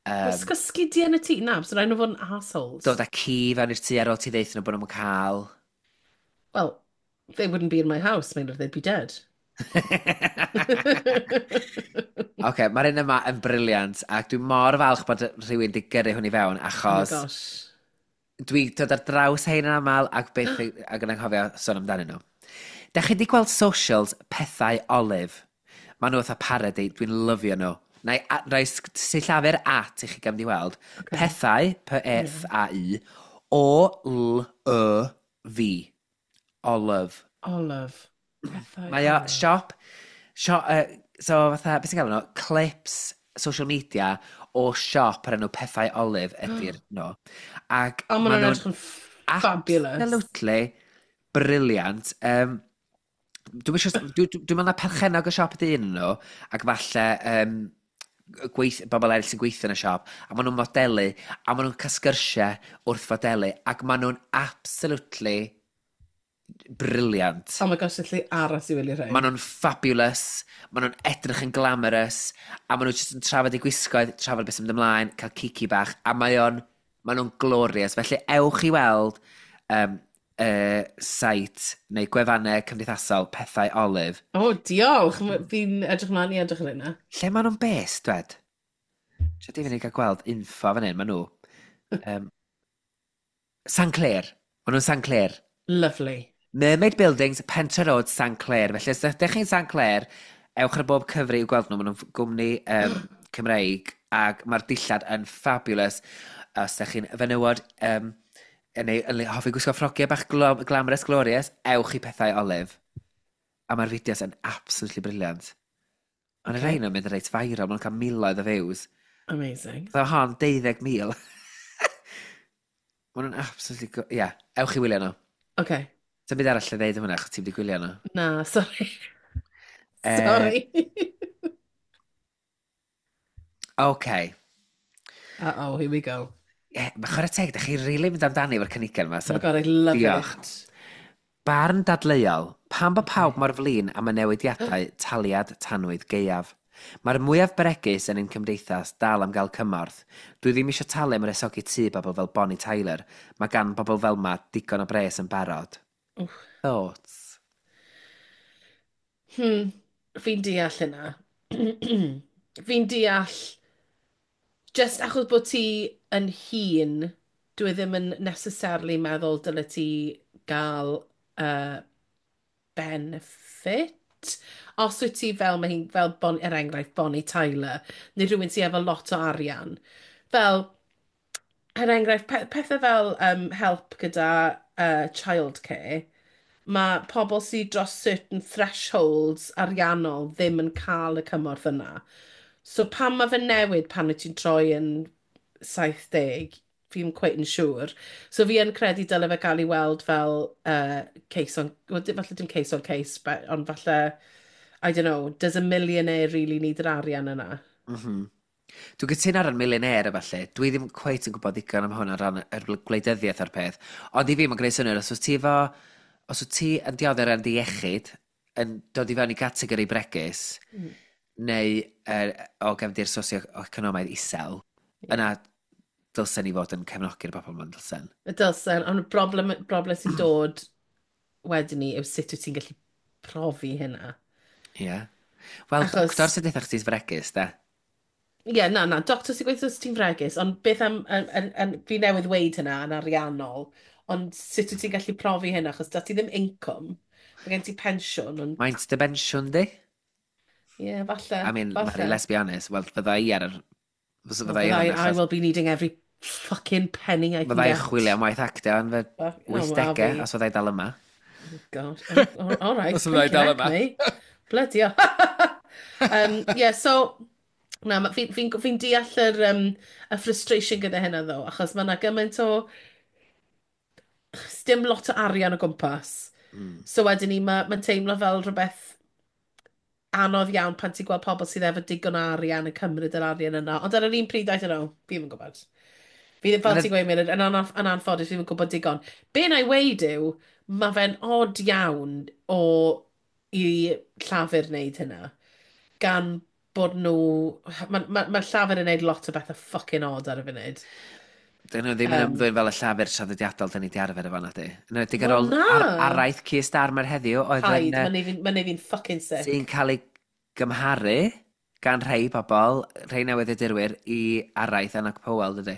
Gwisgo sgidiau yn y tŷ? Na, so rhaid nhw fod yn assholes. dod â ci fewn i'r tŷ ar ôl ti ddeud nhw bod nhw'n cael. Well, they wouldn't be in my house, Meilir, they'd be dead. Oce, okay, mae'r un yma yn brilliant, ac dwi'n mor falch bod rhywun wedi gyrru hwn i fewn, Oh my achos gosh. dwi dod ar draws hein yn aml ac beth ac yn anghofio sôn amdanyn nhw. Da chi wedi gweld socials Pethau Olive? Maen nhw fatha parody, dwi'n lyfio nhw. Na i roi sillafu'r at i chi gam di weld. Okay. Pethau, P-E-T-H-A-U, O-L-Y-V. Olive. Olive. Pethau Mae o Olive. siop, siop, so fatha, beth sy'n gael nhw? Clips, social media o siop ar enw Pethau Olive ydy'r nhw. Ac O, maen ma' nhw'n nhw'n edrych yn fabulous. absolutely brilliant. Dwi'n siŵr, dwi'n meddwl na perchennog y siop ydy un nhw, ac falle Gweith, bobl eraill sy'n gweithio yn y siop, a maen nhw'n modelu, a maen nhw'n cael sgyrsiau wrth fodelu, ac maen nhw'n absolutely brilliant. Oh my gosh, allai aros i wylio rhain. Maen nhw'n fabulous, maen nhw'n edrych yn glamorous, a maen nhw jyst yn trafod eu gwisgoedd, trafod beth sy'n mynd ymlaen, cael kiki bach, a maen nhw'n glorious. Felly ewch i weld site neu gwefannau cymdeithasol Pethau Olive. O, oh, diolch. Fi'n edrych mlaen i edrych ar hynna. Lle maen nhw'n based, dwed? Sio di fyny gael gweld info fan hyn, maen nhw. St Clear. Maen nhw'n St Clear. Lovely. Mermaid Buildings, Pentre Road, St Clear. Felly, os ydych chi'n St Clear, ewch ar bob cyfri i'w gweld nhw. Maen nhw'n gwmni Cymreig ac mae'r dillad yn fabulous. Os ydych chi'n fenywod neu yn hoffi gwisgo ffrogiau bach glamorous glorious, ewch i Pethau Olive. A mae'r fideos yn absolutely brilliant. Ond y rhain yn mynd yn reit viral, maen nhw'n cael miloedd o views. Amazing. Dda hon, 12,000. Maen nhw'n absolutely... Ie, yeah, ewch i wylio nhw. Okay. Dim byd arall i ddeud am hwnna, achos ti'n wedi gwylio nhw. Na, sorry. Sorry. OK. Uh-oh, here we go. Yeah, mae chwarae teg, da chi'n rili really mynd amdani efo'r cynigion yma. So, oh my God, I love diolch. It. Barn dadleuol. Pam bod pawb mor flin am y newidiadau taliad tanwydd gaeaf? Mae'r mwyaf bregus yn ein cymdeithas dal am gael cymorth. Dwi ddim eisiau talu am wresogi tŷ bobl fel Bonnie Tyler. Mae gan bobl fel ma digon o bres yn barod. Wff. Thoughts? Fi'n deall hynna. Fi'n deall just achos bod ti yn hŷn, dwi ddim yn necessarily meddwl dyle ti gael benefit. Os wyt ti fel, mae hi'n fel, bon, er enghraifft, Bonnie Tyler, neu rhywun sydd efo lot o arian. Fel, er enghraifft, pethau fel help gyda childcare, mae pobl sydd dros certain thresholds ariannol ddim yn cael y cymorth yna. So pan mae fe newid pan wyt ti'n troi yn 70, fi'n quite yn siŵr. So fi yn credu dyle fe gael ei weld fel case on... Well, falle dim case on case, but, ond falle, I don't know, does a millionaire really need yr arian yna? Dwi'n cytuno ar y millionaire a falle. Dwi ddim cweit yn gwybod ddigon am hwn o ran yr gwleidyddiaeth o'r peth. Ond i fi, mae'n gwneud synnwyr, os wyt ti yn dioddef ar dy iechyd, yn dod i fewn i gategori bregus, neu o gefndir socio-economaidd isel, yna dylsen ni fod yn cefnogi'r bobl yma'n dylsen. Y dylsen, ond y broblem sy'n dod wedyn ni yw sut wyt ti'n gallu profi hynna. Ie. Yeah. Wel, doctor sy'n deutha chdi'n fregus, de. Ie, yeah, na, doctor sy'n gweithio os ti'n fregus, ond beth am, fi newydd weud hynna yn ariannol, ond sut wyt ti'n gallu profi hynna, achos da ti ddim income, mae gen ti pensiwn, ond... Maint dy bensiwn di? Ie, yeah, falle. I mean, falle. Mari, let's be honest, wel, fydda i ar yr... Fydda i ar I will be needing every fucking penny I can Fydda i get. chwilio am waith actio yn fy 80au, os fydda i dal yma. Oh God, oh, all right. Os fydda i dal yma. Bloody hell. Yeah, so... Na, fi'n fi deall y frustration gyda hynna ddo, achos mae yna gymaint o... Dim lot o arian o gwmpas. So wedyn ni, mae'n ma teimlo fel rhywbeth anodd iawn pan ti'n gweld pobl sydd efo digon o arian yn cymryd yr arian yna. Ond ar yr un pryd, I don't know, fi ddim yn gwybod. Fi ddim, fel ti'n gweud, Meilir, yn anffodus, fi ddim yn gwybod digon. Be na i weud yw, mae fe'n odd iawn o i Llafur wneud hynna. Gan bod nhw... Mae ma Llafur yn wneud lot o bethau fucking odd ar y funud. Dyn nhw ddim yn ymddwyn fel y Llafur traddodiadol dyn ni di arfer efo na di. Yn enwedig ar Wel, ôl na. Araith Keir Starmer heddiw oedd Paid, yn, mae'n neud fi'n fucking sick. Sy'n cael ei gymharu gan rhai pobl, rhai newyddiadurwyr, i araith Enoch Powell, dydy?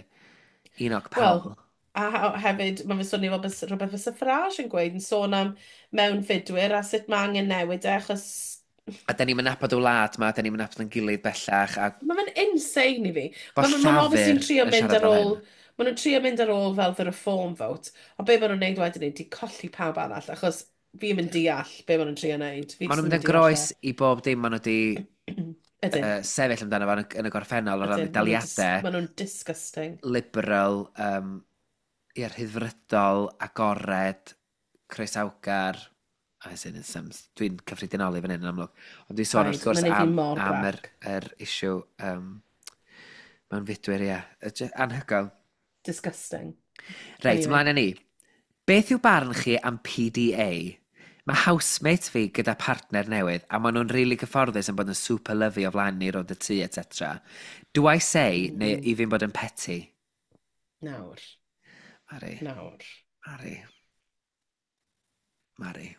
Enoch Wel, Powell. a hefyd, mae fe'n swnio fel rhywbeth fysa Farage yn gweud, yn sôn am mewnfudwyr a sut mae angen newid e, achos... A da ni'n nabod y wlad ma, da ni'n nabod yn gilydd bellach. A... Mae fe'n insane i fi. Bo Ma' nhw obviously yn Llafur trio yn mynd siarad ar fel ôl hyn. Ma' nhw'n trio mynd ar ôl fel the reform vote, ond be maen nhw'n neud wedyn yw di colli pawb arall, achos fi ddim yn deall be maen nhw'n trio neud. Fi Maen jyst nhw'n ddim mynd yn yn deall groes e. i bob dim maen nhw di Ydyn. Sefyll amdano fo yn y gorffennol o ran Ydyn, daliadau. maen nhw'n disgusting. Liberal, ie, rhyddfrydol, agored, croesawgar. As in, some, dwi'n cyffredinoli fan hyn yn amlwg. Ond dwi'n sôn wrth Paid, gwrs mae'n neud fi am, mor am yr, grac. yr issue mewn fudwyr, ie. Anhygoel. Disgusting. Reit, Anyway. ymlaen â ni. Beth yw barn chi am PDA? Mae housemate fi gyda partner newydd a maen nhw'n rili really gyfforddus yn bod yn super lovey o flaen ni rownd y tŷ, etc. Do I say, neu i fi'n bod yn petty? Nawr, Mari, nawr. Mari. Mari.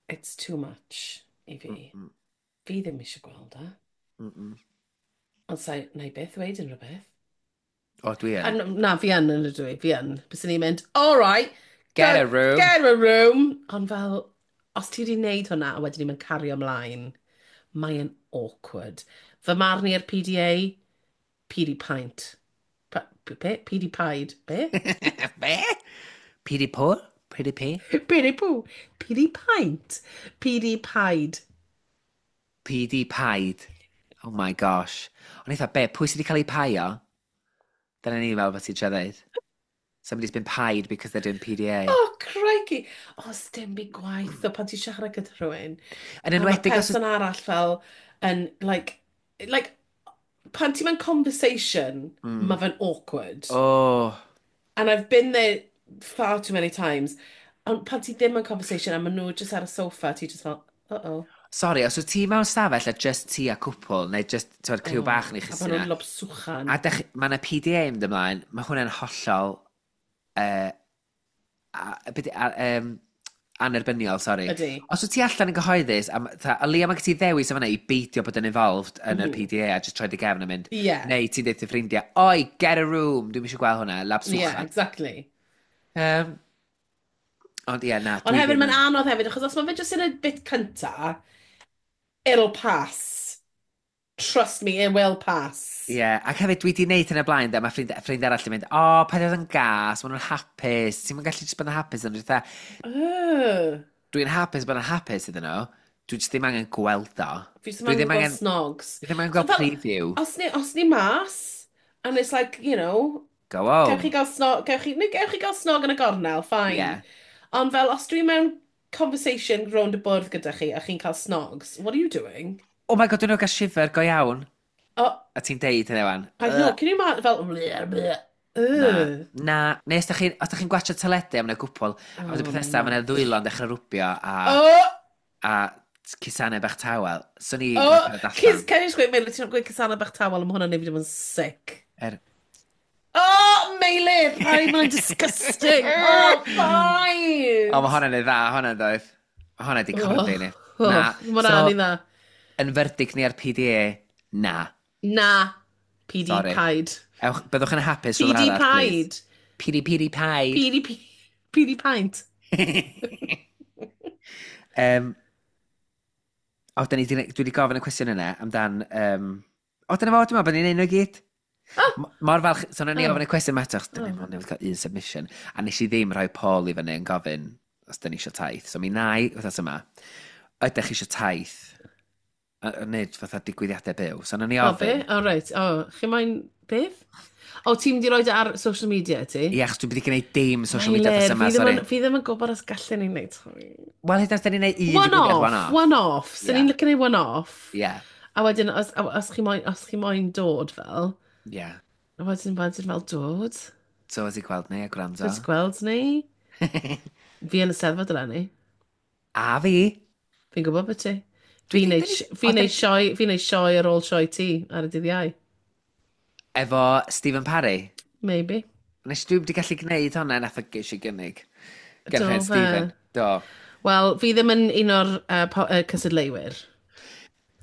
It's too much i fi. Fi ddim eisiau gweld e. Ond sa'i, na i byth ddweud unrhyw beth. O, dwi A yn. Na, fi yn ydw i, fi yn. Byswn i'n mynd, all right, Get a room. Get a room. Ond fel, os ti wedi wneud hwnna a wedyn ni'n mynd cario ymlaen, mae'n awkward. Fy marn i ar PDA, PD pint. Be? PD paid. Be? Be? PD pŵr? PD P? PD pw? PD pint. PD paid. PD paid. Oh my gosh. Ond eitha, be, pwy sydd wedi cael ei paio? Dyna ni'n meddwl bod ti'n trio ddeud. Somebody's been pied because they're doing PDA. Oh, crikey. O, sdim byd gwaith o pan ti'n siarad gyda rhywun. Yn A mae enwedig os... person arall fel yn, like, pan ti'n mewn conversation, mae fe'n awkward. Oh. And I've been there far too many times. Ond pan ti ddim yn conversation a maen nhw just ar y sofa, ti just fel, uh-oh. Sorry, os wyt ti mewn stafell a just ti a cwpl, neu just, ti'n criw bach neu A chi maen nhw'n lobswchan. A dech, mae yna PDA yn mynd ymlaen, mae hwnna'n hollol anerbyniol, sorry. Ydy. Os wyt ti allan yn gyhoeddus, a, o leia mae gen ti ddewis o fan'na i beidio bod yn involved yn yr PDA a just troi dy gefn a mynd, neu ti'n deud dy ffrindiau, "Oi, get a room, dwi'n eisiau gweld hwnna, lab Yeah, swchan." exactly. Ond ie, na, Ond dwi hefyd, ddim mae'n anodd hefyd, achos os mae fe jyst yn y bit cynta, it'll pass. Trust me, it will pass. Ie, yeah, ac hefyd dwi wedi gwneud hyn o blaen, de, mae ffrind arall yn mynd, "O, oh, paid oedd yn gas, maen nhw'n hapus, ti'n mynd gallu just bod yn hapus," ond dwi'n fatha, dwi'n hapus bod yn hapus iddyn nhw, dwi jyst ddim angen gweld o. Fi jyst Dwi ddim ddim angen angen, gweld snogs. dwi ddim angen So gweld fel, preview. os ni mas, and it's like, Go gewch chi home. gael snog, gewch chi, neu gewch chi gael snog yn y gornel, fine. Ond fel, os dwi mewn conversation rownd y bwrdd gyda chi a chi'n cael snogs, what are you doing? Oh my God, dwi'n gael shiver go iawn. Oh, A ti'n deud hynny wan. I know, can you imagine, fel, bleh, bleh. Na, Ugh. na. Neu os da chi'n gwachio teledu am yna gwpl, a wedyn Oh, peth nesaf, na. mae yna ddwylo'n dechrau rwbio a, a cusanau bach tawel. So ni Oh, yn cerdded Cys, allan. can you just gweud, Meilir, ti'n gweud cusana bach tawel, mae hwnna'n neud fi ddim yn sick. Oh, Meilir! Ai, mae'n disgusting! Oh, fine! O, mae hwnna'n ei dda, hwnna'n ddoedd. Mae hwnna di corddi ni. Oh, Na. mae hwnna'n So, ei dda. yn verdict ni ar PDA, na. Na. PD Sorry. paid. Ewch, byddwch yn hapus rhywle PD arall, please. paid. PD, PD paid. PD, PD pint. O, da ni, dwi wedi gofyn y cwestiwn yna amdan. O, dyna fo, dwi'n meddwl bod ni'n neud nhw i gyd. Mor falch, so nawn ni ofyn y cwestiwn yma eto, achos dyn ni mond newydd cael un submission, a nes i ddim rhoi poll i fyny yn gofyn os dyn ni eisiau taith. So mi na i wythnos yma, ydych chi eisiau taith? A wneud fatha digwyddiadau byw. So nawn ni O, be? ofyn. O, reit. O, chi moyn beth? O, ti'n mynd i roid e ar social media, ti? Ie, achos dwi'n wedi gwneud dim social media Meilir, wythnos yma, fi ddim sorry. Fi ddim yn gwybod os gallen ni wneud. Wel, hyd yn oed os dyn ni'n neud un One digwyddiad off, one-off. one off. So ni'n licio neud one off. A wedyn, os chi moyn dod fel, a wedyn fel dod. So, os i gweld ni a gwrando. Dod i gweld ni. Fi yn y Steddfod eleni. A fi. Fi'n gwybod beth ti. Dwi Fi'n 'di- neud fi'n neud sioe ar ôl sioe ti ar y dydd Iau. Efo Stephen Parry. Maybe. Nes dwi wedi gallu gwneud hwnna, nath o geisio gynnig. Gan Do rhaid fe? Stephen. Do. Wel, fi ddim yn un o'r cystadleuwyr.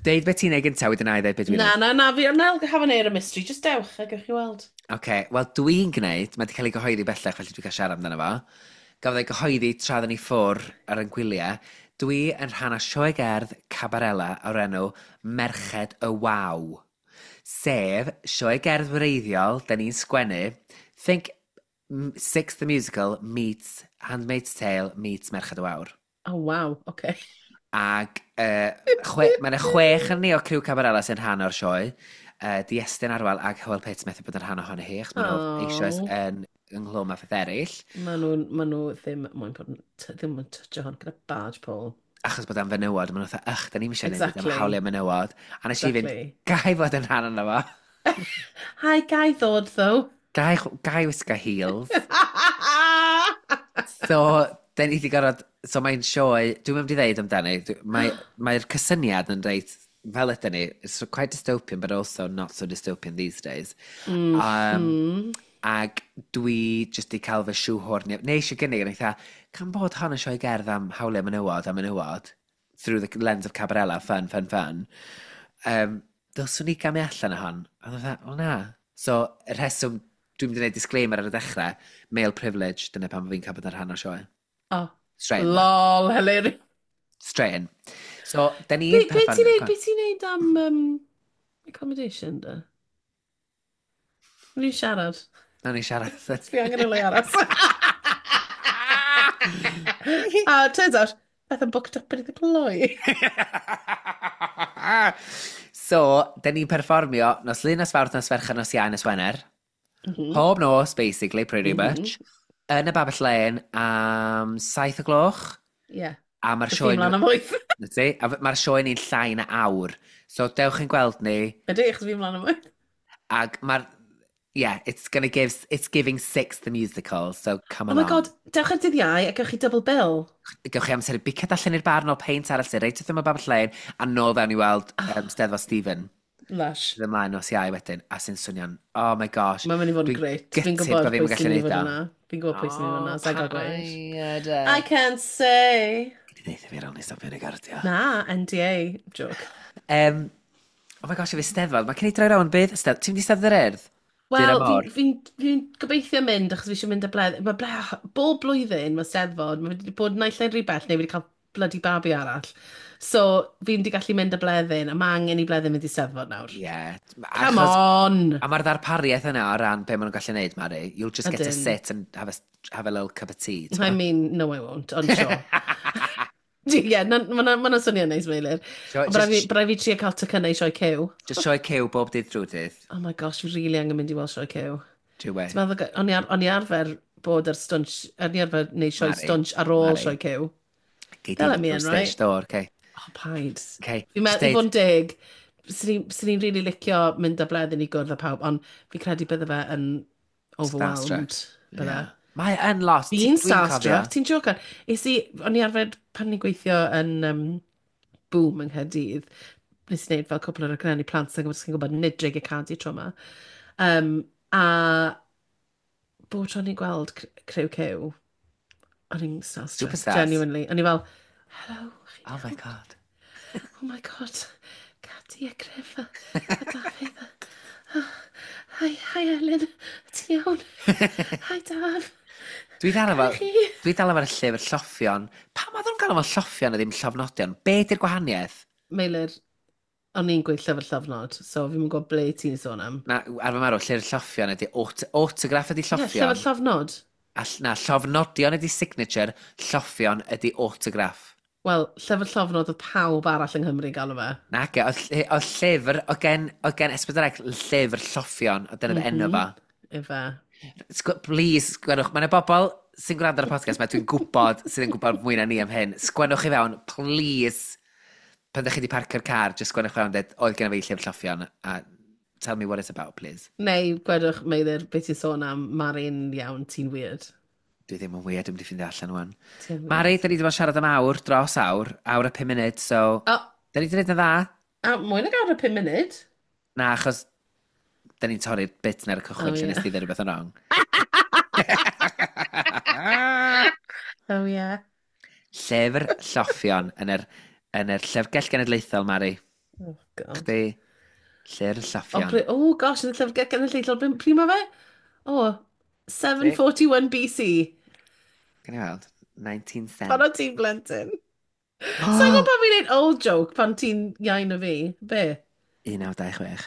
Deud beth ti'n neud gyntaf, wedyn na i ddeud beth dwi'n Na, neud. na, na, fi, na, have an air of mystery. Just dewch a gewch chi weld. Oce, wel dwi'n gwneud, mae wedi cael ei gyhoeddi bellach, felly dwi'n cael siarad amdano fo. Gafodd ei gyhoeddi tra oedden ni ffwr ar ein gwyliau. Dwi yn rhan o sioe gerdd Cabarella o'r enw Merched y Waw. Sef sioe gerdd wreiddiol, da ni'n sgwennu, think Six the Musical meets Handmaid's Tale meets Merched y Wawr. Oh, wow, okay. Ac mae yna 6 yn ni o criw Cabarella sy'n rhan o'r sioe. Di Estyn Arwel ac Hywel Pitts methu bod yn rhan ohono hi, achos maen nhw eisoes yn ynghlwm â pheth eraill. Ma nhw ddim moyn bod yn, ddim yn toucho hwn gyda barge pole. Achos bod am fenywod, maen nhw'n fatha, ych, da ni'n eisiau gwneud am hawliau menywod. A nes i fynd, gai fod yn rhan yna fo. Hi, gai ddod, though. Gai wisgo heels. So, da ni wedi gorfod, so mae'n sioe, dwi'n mynd i ddeud amdani, mae'r mae cysyniad yn reit, fel ydyn ni, it's quite dystopian, but also not so dystopian these days. Ac dwi jyst di cael fy shoehorn, neu eisiau gynnig, yn eitha, can bod hon yn sioe gerdd am hawliau menywod a menywod, through the lens of Cabarella, fun, fun, fun. Dylswn i gamu allan o hon. A dda, o na. So, y rheswm dwi'n mynd i wneud disclaimer ar y dechrau, male privilege, dyna pam fi'n cael bod yn rhan o'r sioe. Oh, straight in. Lol, hilarious. Straight in. So, da ni'n Be ti'n neud, be ti'n neud am accommodation, da? Ni'n siarad. Na, ni'n siarad. Fi angen y le aros. A turns out, Beth yn booked up yn y cloi. So, da ni'n perfformio nos Lun, nos Fawrth, nos Fercher, nos Iau, nos Wener. Pob nos, basically, pretty much. Yn y Babell Lane am 7 o gloch. Yeah. A mae'r sioe Fi mlaen am 8. Na ti? A mae'r sioe ni'n llai na awr. So, dewch yn gweld ni. Ydy, achos fi mlaen am 8. Ac mae'r... Yeah, it's giving Six the Musical, so come Oh my along. God, dewch ar dydd Iau a gewch chi double bill. Gewch chi amser i biciad allan i'r bar nôl peint arall sy'n reit wrth ymyl Babell Lane, a nôl fewn i weld Steddfod Stephen. Lush. Sydd ymlaen nos Iau wedyn, a sy'n swnio'n, oh my gosh. Mae'n mynd i fod yn Dwi'n great. Fi'n gutted gwybod bod fi'm pwy yn gallu sy'n mynd i neud fod o. yna. Fi'n gwybod pwy sy'n mynd i fod yna. Sa'n gael gweud. Paid. I can't say. Gyd i ddeutha fi ar ôl ni stopio recordio. Na, NDA. Joke. Oh my gosh, i fi Steddfod. Mae cyn i droi rownd bydd. Ti'n mynd i Steddfod yr Urdd? Wel, Dur y môr. fi gobeithio mynd achos fi eisiau mynd â bledd. Mae ble, bob blwyddyn mae Steddfod, mae wedi bod naill ai'n rhy bell neu wedi cael bloody babi arall. So, fi'n wedi gallu mynd â bleddyn, a mae angen i bleddyn mynd i Steddfod nawr. Ie. Yeah. Come on! A mae'r ddarpariaeth yna o ran be maen nhw'n gallu neud, Mari. You'll just get to Ydyn. sit and have a little cup of tea. I mean, no I won't, ond sure. Ie, yeah, mae'n ma swnio'n neis, Meilir. So, Ond bydd just, rhaid fi trio cael tocynnau i sioe Cyw. Just sioe Cyw bob dydd drwy dydd. Oh my gosh, fi really angen mynd i weld sioe Cyw. Dwi we. Ti'n meddwl, o'n i arfer bod ar stwnsh, o'n i arfer neud sioe Mari, stwnsh ar ôl Mari. sioe Cyw. Gei di They'll let me in, drwy right? stage door, okay. Oh, paid. Okay. Fi'n meddwl, i fod yn deg, swn i'n really licio mynd â bleddyn i gwrdd â pawb, ond fi credu bydde fe yn overwhelmed. Bydde. Yeah. Mae yn lot. Fi'n Dwi'n cofio. starstruck, ti'n jocan. Is i, o'n i arfer pan ni'n gweithio yn Boom yng Nghaerdydd, nes i wneud fel cwpl o raglenni plant sy'n gwybod, sy'n gwybod nid Dreigiau Cadi tro yma. A bob tro ni'n gweld criw Cyw, o'n i'n starstruck, Superstars. genuinely. O'n i fel, "Hello, chi Oh my iawn?" God. Oh my God, Cadi a Griff a Dafydd. Hi, hi Elin, ti'n iawn? Hi Daf. Dwi dal efo, Chi? dwi dal efo'r llyfr lloffion. Pam oedd nhw'n gael efo'n lloffion a ddim llofnodion? Be di'r gwahaniaeth? Meilir, o'n i'n gweud llyfr llofnod, so fi'n gwybod ble ti'n sôn am. Na, ar fy marw, llyfr lloffion ydy autograph ydy Ie, lloffion. llyfr llofnod. A, na, llofnodion ydy signature, lloffion ydy autograph. Wel, llyfr llofnod oedd pawb arall yng Nghymru'n galw fe. Na, ge, oedd llyfr, oedd gen S4C llyfr lloffion, oedd dyna mm enw fo. Ife. Please, sgwennwch. Mae yna bobl sy'n gwrando ar y podcast, mae dwi'n gwybod sydd yn gwybod mwy na ni am hyn. Sgwennwch i fewn, please. Pan ydych chi wedi parcio'r car, just sgwennwch fewn, dweud, oedd gen i fi llyfr lloffion, a tell me what it's about, please. Neu, gwedwch, Meilir, beth ti'n sôn am, Mari'n iawn, ti'n weird. Dwi ddim yn weird, dwi'n mynd i ffeindio allan wan. Ti'n weird. Mari, da ni wedi bod yn siarad am awr, dros awr, awr a 5 munud, so O, da ni wedi gwneud yn dda. a mwy nag awr a 5 munud. Na, achos da ni'n torri'r bit na'r cychwyn Oh, lle ie. nes ti ddweud rhywbeth yn wrong. Oh, yeah. Llyfr lloffion yn yr Llyfrgell Genedlaethol, Mari. Oh, God. Chdi, llyfr Oh, lloffion. oh gosh, yn y Llyfrgell Genedlaethol, pryd mae fe? Oh, 741 BC. Gan i weld? 19 cent. Pan o ti'n blentyn. Sa'n gwybod pan fi'n neud old joke pan ti'n iau na fi? Be? 1926.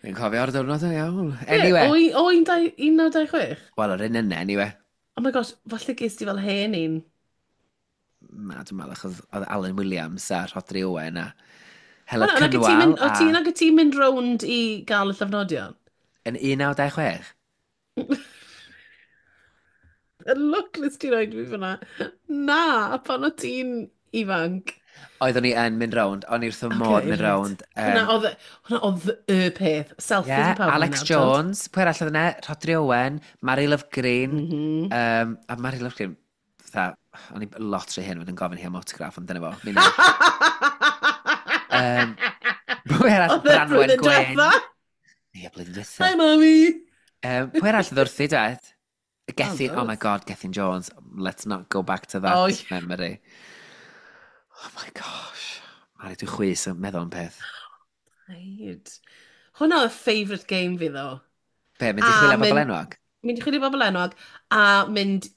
Fi'n cofio'r diwrnod yn iawn. Anyway. Be? O, 1926? Wel, yr un yna, anyway. Oh my gosh, falle ges ti fel hen un. Na, dwi'n meddwl, achos oedd Alan Williams a Rhodri Owen a Heledd Hwnna, nag wyt ti'n Cynwal mynd- O ti'n nag wyt ti'n mynd rownd i gael y llofnodion? Yn 1926? Y look nes ti roed fi fyna. Na, pan o ti'n ifanc. Oeddwn i yn mynd rownd, o'n i wrth y modd Okay, mynd right. rownd. Hwna oedd y peth. Selfies Yeah, yn pawb Alex yna, Jones, pwy arall oedd yna? Rhodri Owen, Mary Love Green. Mm -hmm. A Mary Love Green, fatha, o'n i lot rhy hyn fod yn gofyn hi am autograph, ond dyna fo. Mi wna. Pwy arall? Oedd e Branwen blwyddyn Gwyn. diwetha? Ie, blwyddyn diwetha. Hi, mummy! Pwy arall oedd wrthi, dwed? Gethin, oh, Oh, my God, Gethin Jones. Let's not go back to that Oh, yeah. memory. Oh my gosh. Mari, dwi'n chwys yn meddwl am peth. Right. Hwna oedd favourite game fi, ddo. Be, mynd i A chwilio am bobl mynd- enwog? Mynd i chwilio bobl enwog a mynd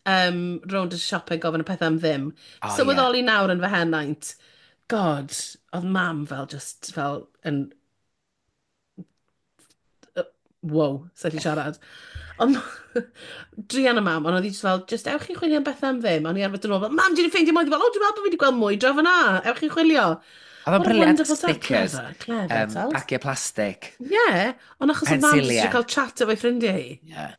rownd y siop yn gofyn y pethau am ddim. Oh, Sylweddoli nawr yn fy henaint. God, oedd mam fel just fel yn... Wow, sa'n gallu siarad. Ond druan y mam, ond oedd hi just fel, just ewch i chwilio am bethau am ddim. O'n i arfer dod yn ôl fel, mam, dwi wedi ffeindio mwy. Oedd hi fel, o, dwi'n meddwl bod fi wedi gweld mwy draw fyna. Ewch i chwilio. Oedd o'n What a brilliant, wonderful thought. stickers, Clever, clever, teld. bagiau plastig. Ie, ond achos oedd mam jyst Pensiliau. eisiau cael chat efo'i ffrindiau hi. Yeah.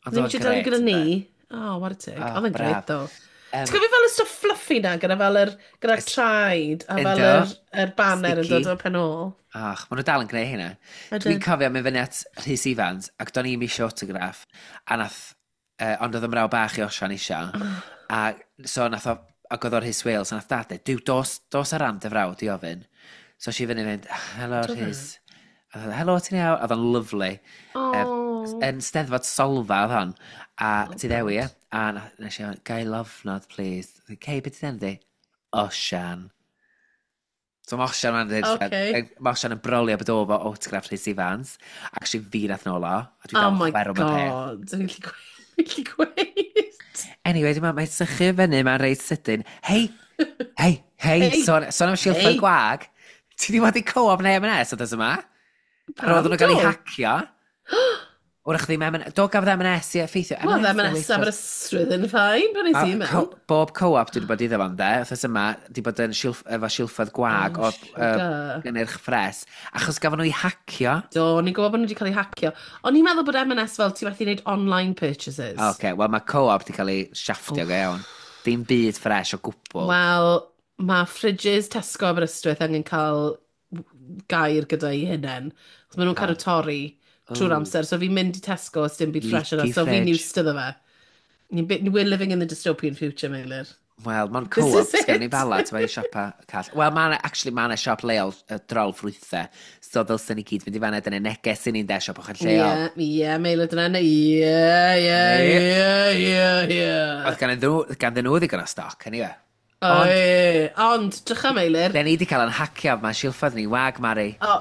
Ond Ddim oedd o'n eisiau delio grêt, gyda ni. ynde? Oh, what a tig. Oh, Oedd yn braf. great, though. Ti'n cofio fel y stwff fluffy na, gyda fel yr, gyda'r traed, a fel Ynddo. yr banner yn Sticky. dod o'r pen ôl. Ach, maen nhw dal yn gwneud hynna. Ydyn. Dwi'n cofio mynd fyny at Rhys Ifans, ac do'n i'm isio autograph, a nath, ond oedd y mraw bach i Osian isio, a so nath o, ac oedd o'r Rhys Wales, a nath dad dweud, "Duw, dos ar ran dy frawd i ofyn." So si fyny mynd, "Helo Do fe? Rhys." A oedd o, "Helo, ti'n iawn?" Oedd o'n lyfli. Oh. Yn Steddfod Solfa oedd hon, a Oh, ti ddewi, God. ie? A nes i ofyn, "Ga i lofnod, please?" "Cei, beth ti'n di?" "Osian." So mae Osian ma'n dweud, Okay. mae Osian yn brolio bod o fo autograph Rhys Ifans. Actually, fi nath nôl o, a dwi Oh dal my chwerw am y peth. God. Dwi'n gallu gweud. Anyway, dwi'n meddwl, mae'n sychu fyny, mae'n reit sydyn. Hei, hei, hei, Hei. sôn am silffoedd Hei. gwag. Ti di bod i co-op neu M&S oedd yma? Ar ôl nhw gael eu Do. hacio. Wrach ddim M&S, do gafodd M&S i effeithio. Wel, M&S Aberystwyth yn fine, pan nes i A mewn. Bob co-op dwi wedi bod iddo fo'n de, wythnos yma, di bod yn efo silffoedd gwag Oh, o sugar. gynnyrch ffres, achos gafon nhw eu hacio. Do, o'n i'n gwybod bod nhw wedi cael eu hacio. O'n i'n meddwl bod M&S fel ti methu wneud online purchases. Oce, okay, wel mae co-op di cael ei shafftio go iawn. Dim byd ffres o gwbl. Wel, mae fridges Tesco Aberystwyth angen cael gair gyda'i hunain. Achos maen nhw'n cadw torri trwy'r amser. So fi'n mynd i Tesco os dim byd fresh yna. Leaky So fi'n fridge. used to fe. We're living in the dystopian future, Meilir. Wel, mae'n This co-op, is sgen i it. bala, ti'n meddwl, siopa call. Wel, mae actually, mae yna siop leol drol ffrwythau, so ddylsen ni gyd fynd i fanna, dyna neges i ni'n de siop ochr lleol. Ie, ie, Meilir, dyna. Ie, ie, ie, ie, ie. Oedd ganddyn nhw ddigon o stoc, anyway. Oi, ond, drycha Meilir. Den ni wedi cael yn hacio, mae silffoedd ni wag, Mari. O,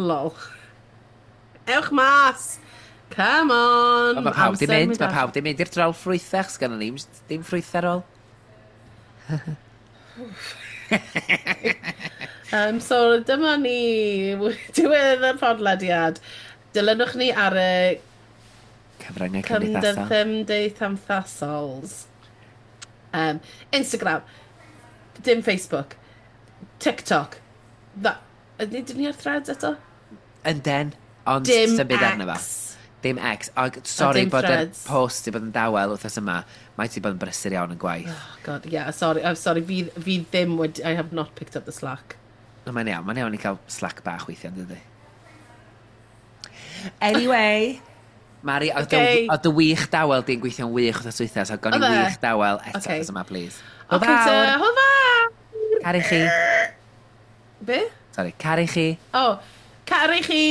lol. Ewch mas! Come on! Ond mae pawb di Amser mynd, mae ar. pawb di mynd i'r drol ffrwythau, achos gynnon ni dim ffrwythau ar ôl. So, dyma ni, diwedd y podlediad. Dilynwch ni ar y Cyfryngau cymdeithasol. cymdeithasols. Instagram, dim Facebook, TikTok. Ydyn ni ar threads eto? Ynden, ond Dim symud arno fo. X. Dim X. Og sorry dim bod y Threads. post di bod yn dawel wythnos yma. Mae ti bod yn brysur iawn yn gwaith. Oh God, yeah, sorry, I'm sorry, fi ddim wedi, I have not picked up the slack. No, mae'n iawn, mae'n iawn i cael slack bach weithiau, yn dydi? Anyway, Mari, oedd dy Okay. oedd dy wych dawel di'n gweithio'n wych wythnos dwytha, so gawn ni Oedd e? wych dawel eto Okay. wythnos yma, please. Hwyl Okay, fawr! ta, hwyl fawr! Caru chi. Be? Sorry, caru chi. Oh, caru chi!